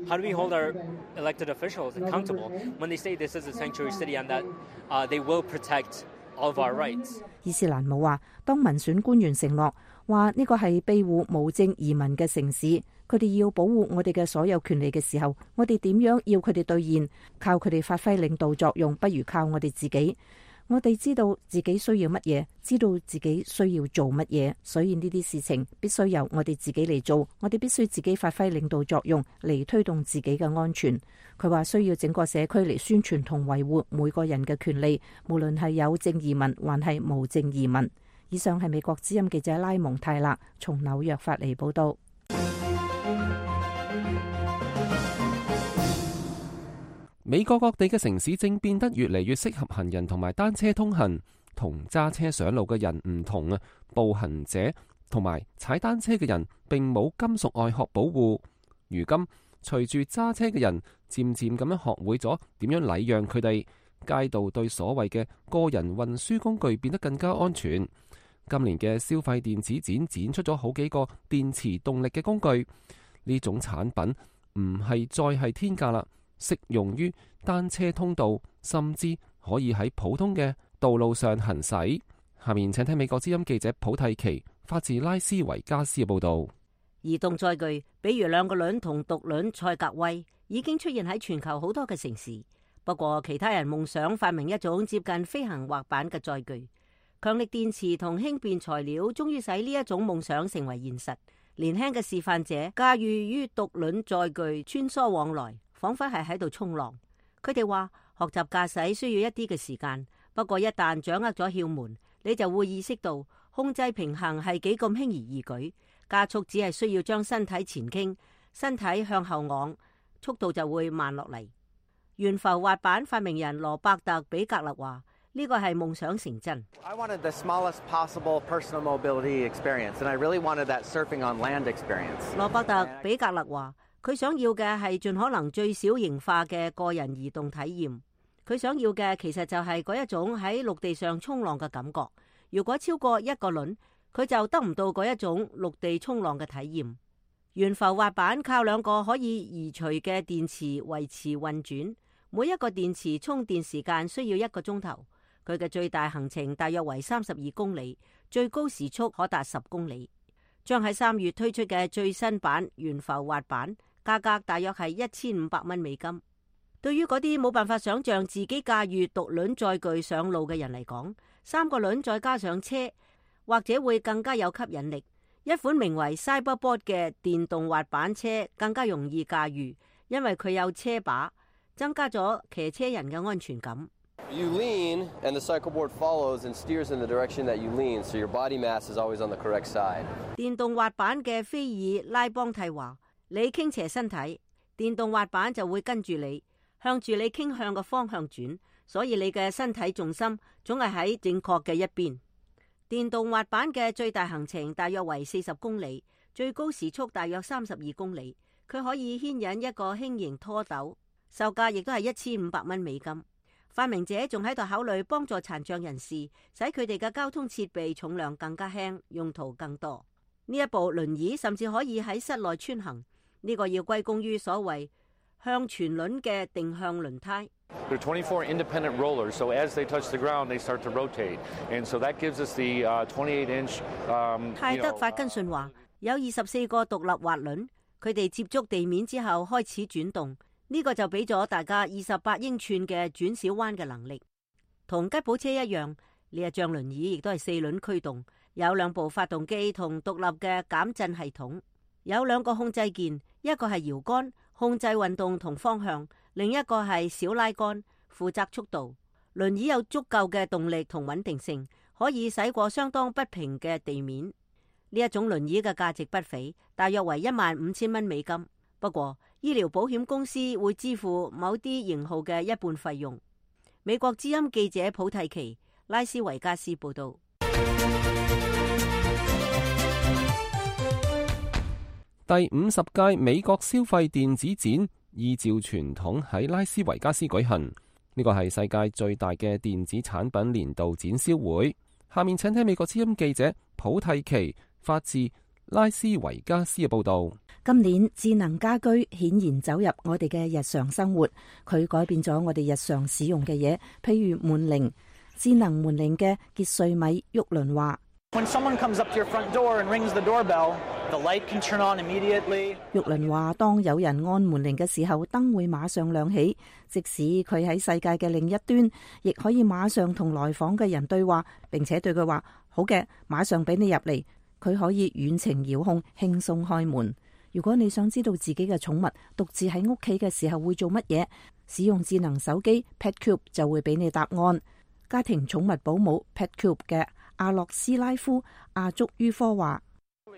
：How do we hold our elected officials accountable when they say this is a sanctuary city and that uh, they will protect all of our rights? 伊斯蘭姆話：當民選官員承諾話呢個係庇護無證移民嘅城市，佢哋要保護我哋嘅所有權利嘅時候，我哋點樣要佢哋兌現？靠佢哋發揮領導作用，不如靠我哋自己。我哋知道自己需要乜嘢，知道自己需要做乜嘢，所以呢啲事情必須由我哋自己嚟做。我哋必須自己發揮領導作用嚟推動自己嘅安全。佢話需要整個社區嚟宣傳同維護每個人嘅權利，無論係有證移民還係無證移民。以上係美國之音記者拉蒙泰勒從紐約發嚟報道。美國各地嘅城市正變得越嚟越適合行人同埋單車通行。同揸車上路嘅人唔同啊，步行者同埋踩單車嘅人並冇金屬外殼保護。如今隨住揸車嘅人漸漸咁樣學會咗點樣禮讓佢哋，街道對所謂嘅個人運輸工具變得更加安全。今年嘅消費電子展展出咗好幾個電池動力嘅工具，呢種產品唔係再係天價啦，適用於單車通道，甚至可以喺普通嘅道路上行駛。下面請聽美國之音記者普蒂奇發自拉斯維加斯嘅報道。移動載具，比如兩個輪同獨輪賽格威，已經出現喺全球好多嘅城市。不過其他人夢想發明一種接近飛行滑板嘅載具。強力電池同輕便材料終於使呢一種夢想成為現實。年輕嘅示範者駕馭於獨輪載具穿梭往來，仿佛係喺度衝浪。佢哋話學習駕駛需要一啲嘅時間，不過一旦掌握咗竅門，你就會意識到控制平衡係幾咁輕而易舉。加速只係需要將身體前傾，身體向後昂，速度就會慢落嚟。懸浮滑板發明人羅伯特比格勒話：呢個係夢想成真。I wanted the smallest possible personal mobility experience, and I really wanted that surfing on land experience. 羅伯特比格勒話：佢想要嘅係盡可能最小型化嘅個人移動體驗。佢想要嘅其實就係嗰一種喺陸地上衝浪嘅感覺。如果超過一個輪，佢就得唔到嗰一種陸地衝浪嘅體驗。懸浮滑板靠兩個可以移除嘅電池維持運轉，每一個電池充電時間需要一個鐘頭。佢嘅最大行程大約為三十二公里，最高時速可達十公里。將喺三月推出嘅最新版懸浮滑板，價格大約係一千五百蚊美金。對於嗰啲冇辦法想象自己駕馭獨輪載具上路嘅人嚟講，三個輪再加上車，或者會更加有吸引力。一款名為 Cyberboard 嘅電動滑板車更加容易駕馭，因為佢有車把，增加咗騎車人嘅安全感。You lean, and the cycleboard follows and steers in the direction that you lean, so your body mass is always on the correct side. 電動滑板嘅菲爾拉邦蒂話：你傾斜身體，電動滑板就會跟住你，向住你傾向嘅方向轉，所以你嘅身體重心總係喺正確嘅一邊。電動滑板嘅最大行程大約為四十公里，最高時速大約三十二公里。佢可以牽引一個輕型拖斗，售價亦都係一千五百蚊美金。發明者仲喺度考慮幫助殘障人士，使佢哋嘅交通設備重量更加輕，用途更多。呢一部輪椅甚至可以喺室內穿行，呢個要歸功於所謂向全輪嘅定向輪胎。There are twenty-four independent rollers, so as they touch the ground, they start to rotate, and so that gives us the twenty-eight inch. 泰德法根遜話：有二十四個獨立滑輪，佢哋接觸地面之後開始轉動。呢個就俾咗大家二十八英寸嘅轉小彎嘅能力，同吉普車一樣。呢一張輪椅亦都係四輪驅動，有兩部發動機同獨立嘅減震系統，有兩個控制鍵，一個係搖桿控制運動同方向，另一個係小拉桿負責速度。輪椅有足夠嘅動力同穩定性，可以駛過相當不平嘅地面。呢一種輪椅嘅價值不菲，大約為一萬五千蚊美金。不過，醫療保險公司會支付某啲型號嘅一半費用。美國之音記者普蒂奇，拉斯維加斯報道。第五十屆美國消費電子展依照傳統喺拉斯維加斯舉行，呢個係世界最大嘅電子產品年度展銷會。下面請聽美國之音記者普蒂奇發自拉斯維加斯嘅報道。今年智能家居顯然走入我哋嘅日常生活，佢改變咗我哋日常使用嘅嘢，譬如門鈴。智能門鈴嘅傑瑞米沃倫話：When someone comes up to your front door and rings the doorbell, the light can turn on immediately. 沃倫話：當有人按門鈴嘅時候，燈會馬上亮起，即使佢喺世界嘅另一端，亦可以馬上同來訪嘅人對話，並且對佢話：好嘅，馬上俾你入嚟。佢可以遠程遙控，輕鬆開門。如果你想知道自己嘅寵物獨自喺屋企嘅時候會做乜嘢，使用智能手機 PetCube 就會俾你答案。家庭寵物保姆 PetCube 嘅阿洛斯拉夫阿祝於科話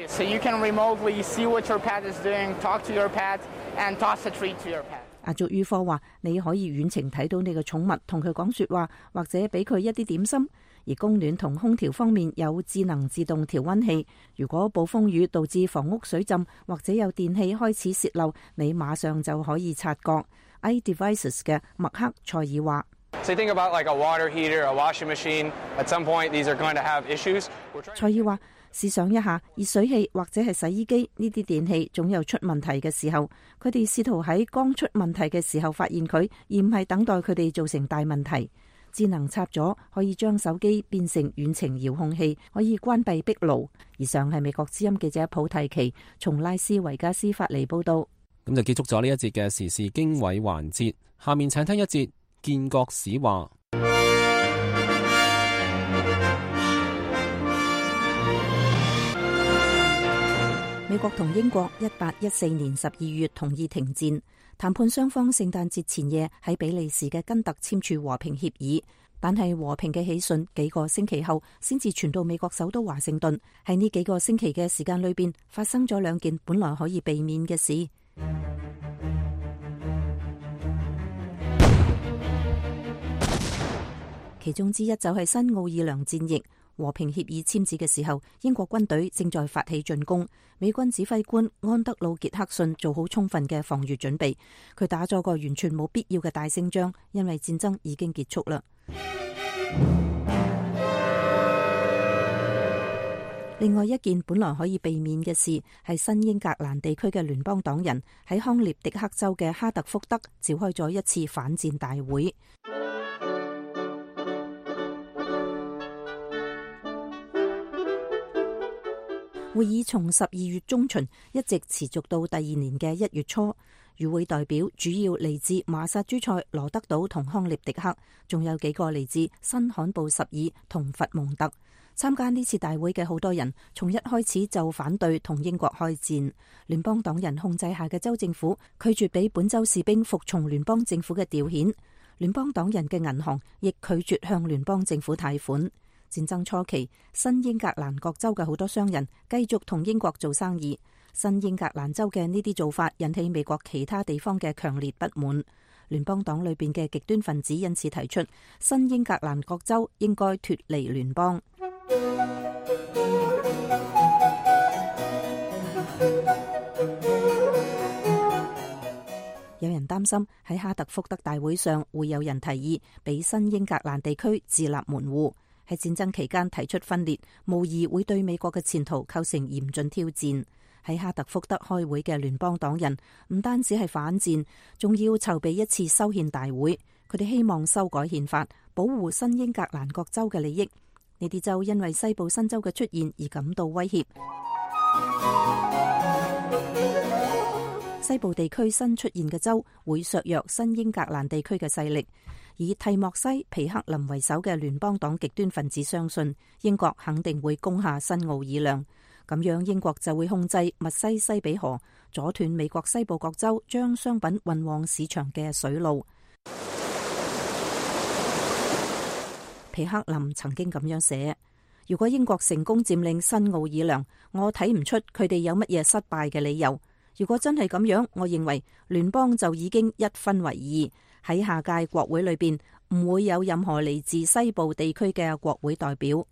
：So you can remotely see what your pet is doing, talk to your pet, and toss a treat to your pet. 阿祝於科話：你可以遠程睇到你嘅寵物，同佢講說話，或者俾佢一啲點心。而供暖同空調方面有智能自動調溫器，如果暴風雨導致房屋水浸或者有電器開始洩漏，你馬上就可以察覺。iDevices 嘅麥克塞爾話：So think about like a water heater, a washing machine. At some point, these are going to have issues. 塞爾話：試想一下，熱水器或者係洗衣機呢啲電器總有出問題嘅時候，佢哋試圖喺剛出問題嘅時候發現佢，而唔係等待佢哋造成大問題。智能插座可以將手機變成遠程遙控器，可以關閉壁爐。以上係美國之音記者普蒂奇從拉斯維加斯發嚟報道。咁就結束咗呢一節嘅時事經緯環節，下面請聽一節建國史話。美國同英國一八一四年十二月同意停戰，談判雙方聖誕節前夜喺比利時嘅根特簽署和平協議，但係和平嘅喜訊幾個星期後先至傳到美國首都華盛頓。喺呢幾個星期嘅時間裏邊，發生咗兩件本來可以避免嘅事。其中之一就係新奧爾良戰役。和平協議簽字嘅時候，英國軍隊正在發起進攻。美軍指揮官安德魯傑克遜做好充分嘅防禦準備，佢打咗個完全冇必要嘅大勝仗，因為戰爭已經結束啦。另外一件本來可以避免嘅事，係新英格蘭地區嘅聯邦黨人喺康涅狄克州嘅哈特福德召開咗一次反戰大會。會議從十二月中旬一直持續到第二年嘅一月初。與會代表主要嚟自馬薩諸塞、羅德島同康涅狄克，仲有幾個嚟自新罕布什爾同佛蒙特。參加呢次大會嘅好多人，從一開始就反對同英國開戰。聯邦黨人控制下嘅州政府拒絕俾本州士兵服從聯邦政府嘅調遣，聯邦黨人嘅銀行亦拒絕向聯邦政府貸款。戰爭初期，新英格蘭各州嘅好多商人繼續同英國做生意。新英格蘭州嘅呢啲做法引起美國其他地方嘅強烈不滿。聯邦黨裏邊嘅極端分子因此提出，新英格蘭各州應該脫離聯邦。有人擔心喺哈特福德大會上會有人提議俾新英格蘭地區自立門戶。喺戰爭期間提出分裂，無疑會對美國嘅前途構成嚴峻挑戰。喺哈特福德開會嘅聯邦黨人唔單止係反戰，仲要籌備一次修憲大會。佢哋希望修改憲法，保護新英格蘭各州嘅利益。呢啲州因為西部新州嘅出現而感到威脅。西部地區新出現嘅州會削弱新英格蘭地區嘅勢力。以蒂莫西、皮克林為首嘅聯邦黨極端分子相信，英國肯定會攻下新奧爾良，咁樣英國就會控制密西西比河，阻斷美國西部各州將商品運往市場嘅水路。皮克林曾經咁樣寫：如果英國成功佔領新奧爾良，我睇唔出佢哋有乜嘢失敗嘅理由。如果真係咁樣，我認為聯邦就已經一分為二。喺下屆國會裏邊唔會有任何嚟自西部地區嘅國會代表。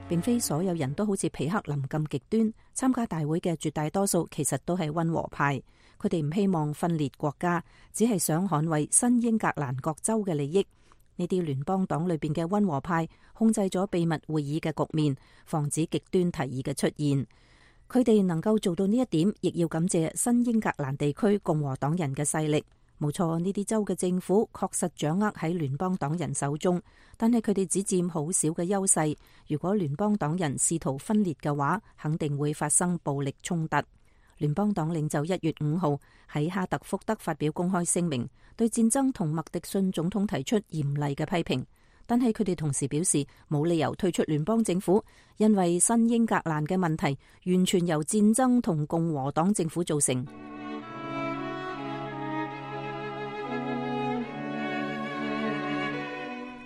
並非所有人都好似皮克林咁極端，參加大會嘅絕大多數其實都係溫和派。佢哋唔希望分裂國家，只係想捍衛新英格蘭各州嘅利益。呢啲聯邦黨裏邊嘅溫和派控制咗秘密會議嘅局面，防止極端提議嘅出現。佢哋能夠做到呢一點，亦要感謝新英格蘭地區共和黨人嘅勢力。冇錯，呢啲州嘅政府確實掌握喺聯邦黨人手中，但係佢哋只佔好少嘅優勢。如果聯邦黨人試圖分裂嘅話，肯定會發生暴力衝突。聯邦黨領袖一月五號喺哈特福德發表公開聲明，對戰爭同麥迪遜總統提出嚴厲嘅批評。但係佢哋同時表示冇理由退出聯邦政府，因為新英格蘭嘅問題完全由戰爭同共和黨政府造成。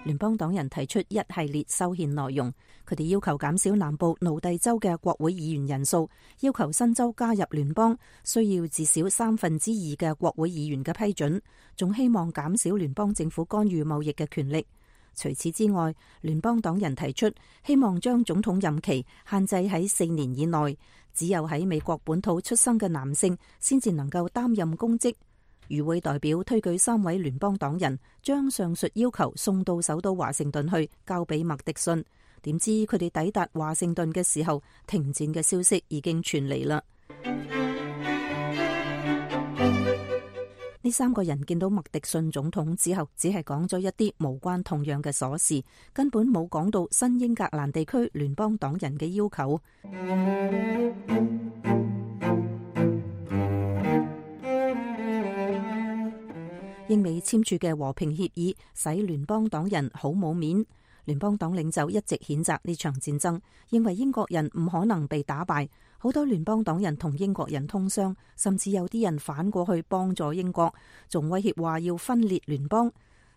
聯邦黨人提出一系列修憲內容，佢哋要求減少南部奴隸州嘅國會議員人數，要求新州加入聯邦需要至少三分之二嘅國會議員嘅批准，仲希望減少聯邦政府干預貿易嘅權力。除此之外，聯邦黨人提出希望將總統任期限制喺四年以內，只有喺美國本土出生嘅男性先至能夠擔任公職。與會代表推舉三位聯邦黨人，將上述要求送到首都華盛頓去，交俾麥迪遜。點知佢哋抵達華盛頓嘅時候，停戰嘅消息已經傳嚟啦。呢三個人見到麥迪遜總統之後，只係講咗一啲無關痛癢嘅瑣事，根本冇講到新英格蘭地區聯邦黨人嘅要求。英美簽署嘅和平協議使聯邦黨人好冇面。聯邦黨領袖一直譴責呢場戰爭，認為英國人唔可能被打敗。好多聯邦黨人同英國人通商，甚至有啲人反過去幫助英國，仲威脅話要分裂聯邦。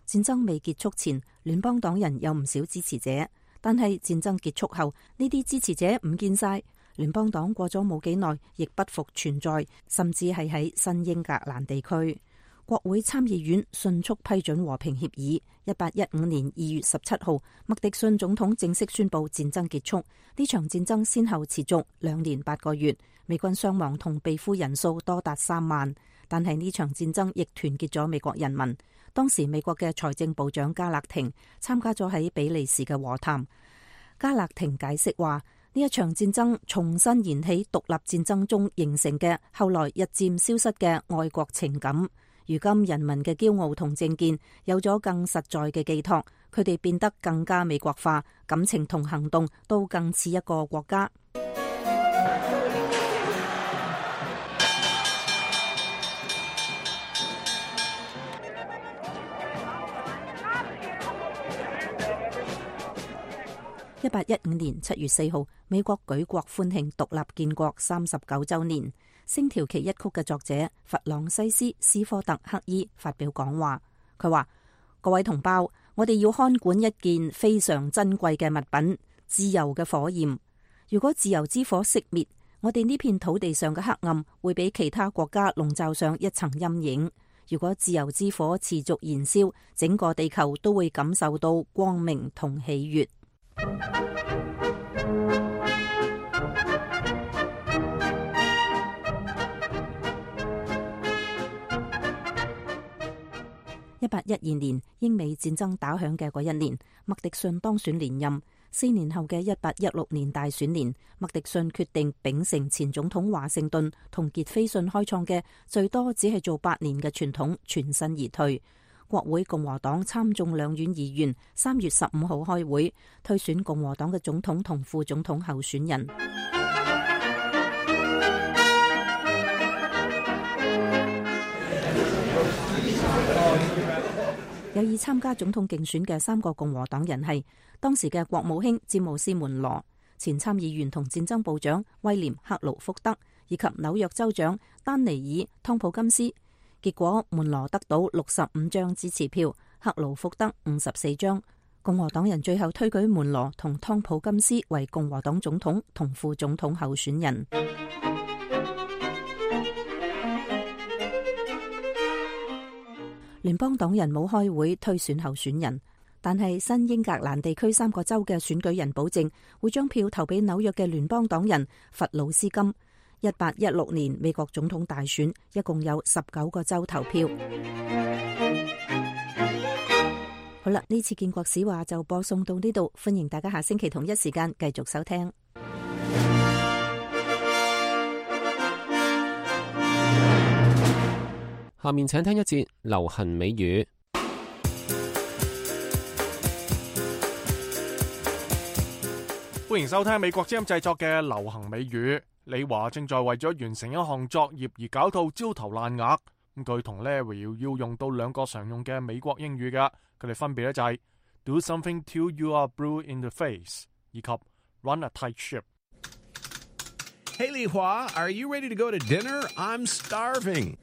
戰爭未結束前，聯邦黨人有唔少支持者，但係戰爭結束後，呢啲支持者唔見晒。聯邦黨過咗冇幾耐，亦不復存在，甚至係喺新英格蘭地區。國會參議院迅速批准和平協議。一八一五年二月十七號，麥迪遜總統正式宣布戰爭結束。呢場戰爭先後持續兩年八個月，美軍傷亡同被俘人數多達三萬。但係呢場戰爭亦團結咗美國人民。當時美國嘅財政部長加勒廷參加咗喺比利時嘅和談。加勒廷解釋話，呢一場戰爭重新燃起獨立戰爭中形成嘅後來日漸消失嘅愛國情感。如今人民嘅驕傲同政見有咗更實在嘅寄託，佢哋變得更加美國化，感情同行動都更似一個國家。一八一五年七月四號，美國舉國歡慶獨立建國三十九週年。星條旗一曲嘅作者弗朗西斯·斯科特克伊發表講話，佢話：各位同胞，我哋要看管一件非常珍貴嘅物品——自由嘅火焰。如果自由之火熄滅，我哋呢片土地上嘅黑暗會俾其他國家籠罩上一層陰影。如果自由之火持續燃燒，整個地球都會感受到光明同喜悅。一八一二年，英美戰爭打響嘅嗰一年，麥迪遜當選連任。四年後嘅一八一六年大選年，麥迪遜決定秉承前總統華盛頓同傑斐遜開創嘅最多只係做八年嘅傳統，全身而退。國會共和黨參眾兩院議員三月十五號開會推選共和黨嘅總統同副總統候選人。有意參加總統競選嘅三個共和黨人係當時嘅國務卿詹姆斯門羅、前參議員同戰爭部長威廉克勞福德以及紐約州長丹尼爾湯普金斯。結果門羅得到六十五張支持票，克勞福德五十四張。共和黨人最後推舉門羅同湯普金斯為共和黨總統同副總統候選人。聯邦黨人冇開會推選候選人，但係新英格蘭地區三個州嘅選舉人保證會將票投俾紐約嘅聯邦黨人弗魯斯金。一八一六年美國總統大選一共有十九個州投票。好啦，呢次建國史話就播送到呢度，歡迎大家下星期同一時間繼續收聽。下面請聽一節流行美語。歡迎收聽美國之音製作嘅流行美語。李華正在為咗完成一項作業而搞到焦頭爛額。咁佢同 Larry 要用到兩個常用嘅美國英語㗎，佢哋分別咧就係 Do something till you are blue in the face 以及 Run a tight ship。Hey, Li Hua, are you ready to go to dinner? I'm starving.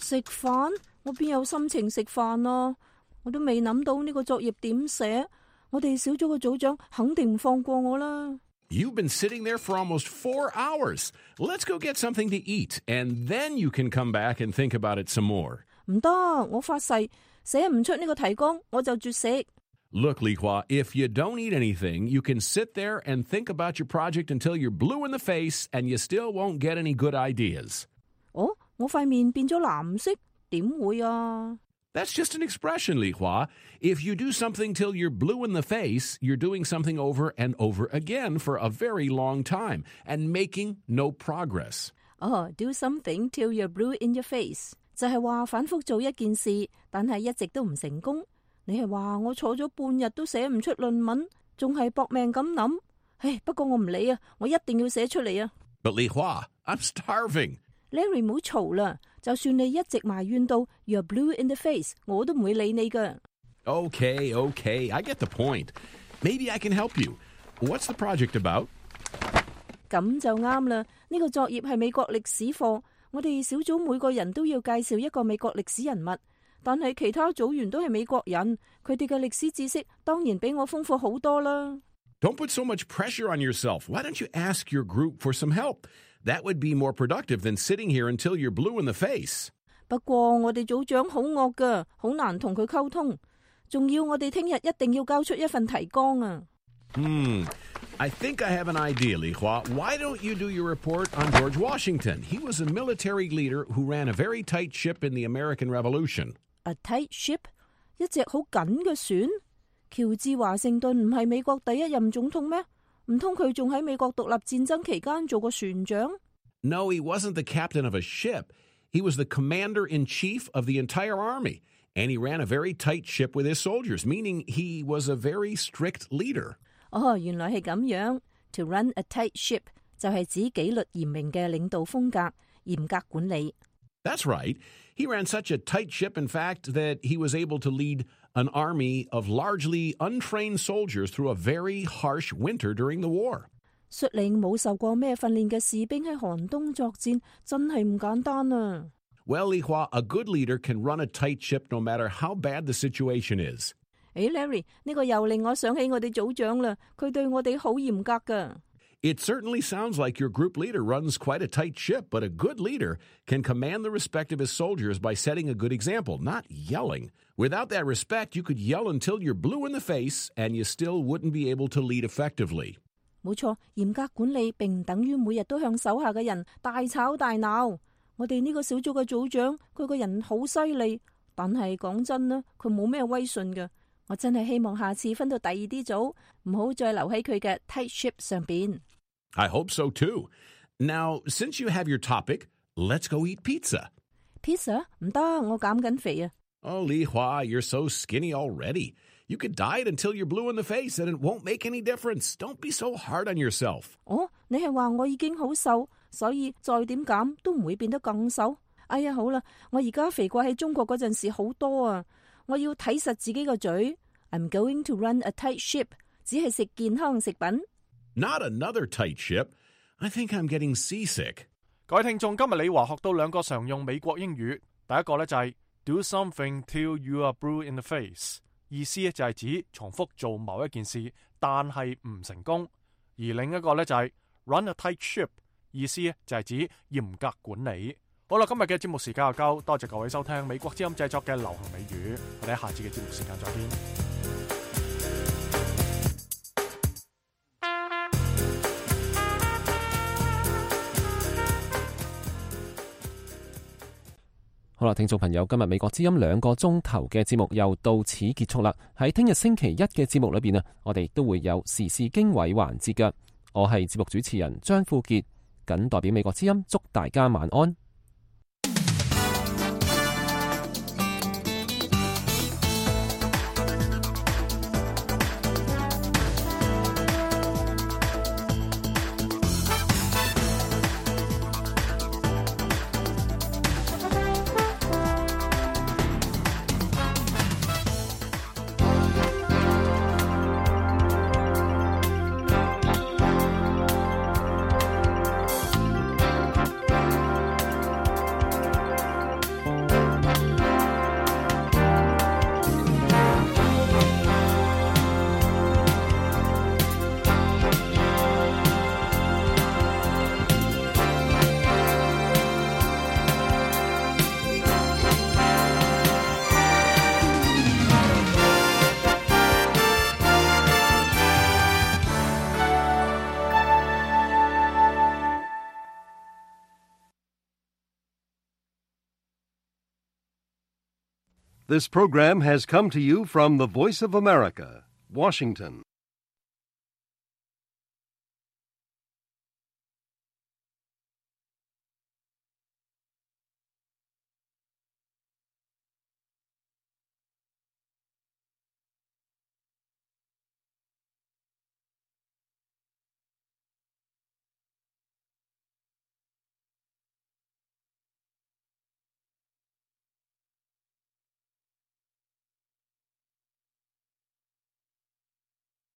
食飯？我邊有心情食飯啊？我都未諗到呢個作業點寫。我哋小組嘅組長肯定唔放過我啦。You've been sitting there for almost four hours. Let's go get something to eat, and then you can come back and think about it some more. 唔得，我發誓寫唔出呢個提綱，我就絕食。Look, Li Hua, if you don't eat anything, you can sit there and think about your project until you're blue in the face, and you still won't get any good ideas. 哦，我塊面變咗藍色，點會啊？ That's just an expression, Li Hua. If you do something till you're blue in the face, you're doing something over and over again for a very long time and making no progress. 哦、oh, do something till you're blue in your face，就係話反覆做一件事，但係一直都唔成功。你係話我坐咗半日都寫唔出論文，仲係搏命咁諗。唉，不過我唔理啊，我一定要寫出嚟啊。But Li Hua, I'm starving. Larry 唔好嘈啦，就算你一直埋怨到 You're blue in the face， 我都唔會理你噶。Okay, okay, I get the point. Maybe I can help you. What's the project about? 咁就啱啦。呢個作業係美國歷史課，我哋小組每個人都要介紹一個美國歷史人物，但係其他組員都係美國人，佢哋嘅歷史知識當然比我豐富好多啦。Don't put so much pressure on yourself. Why don't you ask your group for some help? That would be more productive than sitting here until you're blue in the face. 不過我哋組長好惡噶，好難同佢溝通，仲要我哋聽日一定要交出一份提綱啊。Hmm, I think I have an idea, Li Hua. Why don't you do your report on George Washington? He was a military leader who ran a very tight ship in the American Revolution. A tight ship? 一隻好緊嘅船？喬治華盛頓唔係美國第一任總統咩？唔通佢仲喺美國獨立戰爭期間做過船長？ No, he wasn't the captain of a ship. He was the commander-in-chief of the entire army, and he ran a very tight ship with his soldiers, meaning he was a very strict leader. 哦，原來係咁樣。To run a tight ship 就係指紀律嚴明嘅領導風格，嚴格管理。That's right. He ran such a tight ship, in fact, that he was able to lead an army of largely untrained soldiers through a very harsh winter during the war. 率領冇受過咩訓練嘅士兵喺寒冬作戰，真係唔簡單啊。Well, Li Hua, a good leader can run a tight ship no matter how bad the situation is. 誒 Larry， 呢個又令我想起我哋組長啦，佢對我哋好嚴格㗎。It certainly sounds like your group leader runs quite a tight ship, but a good leader can command the respect of his soldiers by setting a good example, not yelling. Without that respect, you could yell until you're blue in the face, and you still wouldn't be able to lead effectively. 冇錯，嚴格管理並唔等於每日都向手下嘅人大吵大鬧。我哋呢個小組嘅組長，佢個人好犀利，但係講真啦，佢冇咩威信㗎。我真係希望下次分到第二啲組，唔好再留喺佢嘅 tight ship 上邊。I hope so too. Now, since you have your topic, let's go eat pizza. Pizza? 唔得，我減緊肥啊。Oh, Li Hua, you're so skinny already. You could diet until you're blue in the face and it won't make any difference. Don't be so hard on yourself. 哦，你係話我已經好瘦，所以再點減都唔會變得更瘦？哎呀，好啦，我而家肥過喺中國嗰陣時好多啊！我要睇實自己個嘴。I'm going to run a tight ship， 只係食健康食品。Not another tight ship. I think I'm getting seasick. 各位聽眾，今日李華學到兩個常用美國英語。第一個咧就係 do something till you are blue in the face， 意思咧就係指重複做某一件事，但係唔成功。而另一個咧就係 run a tight ship， 意思咧就係指嚴格管理。好啦，今日嘅節目時間就夠，多謝各位收聽美國之音製作嘅流行美語，我哋喺下次嘅節目時間再見。好啦，聽眾朋友，今日美國之音兩個鐘頭嘅節目又到此結束啦。喺聽日星期一嘅節目裏邊啊，我哋都會有時事經緯環節嘅。我係節目主持人張富傑，謹代表美國之音祝大家晚安。This program has come to you from the Voice of America, Washington.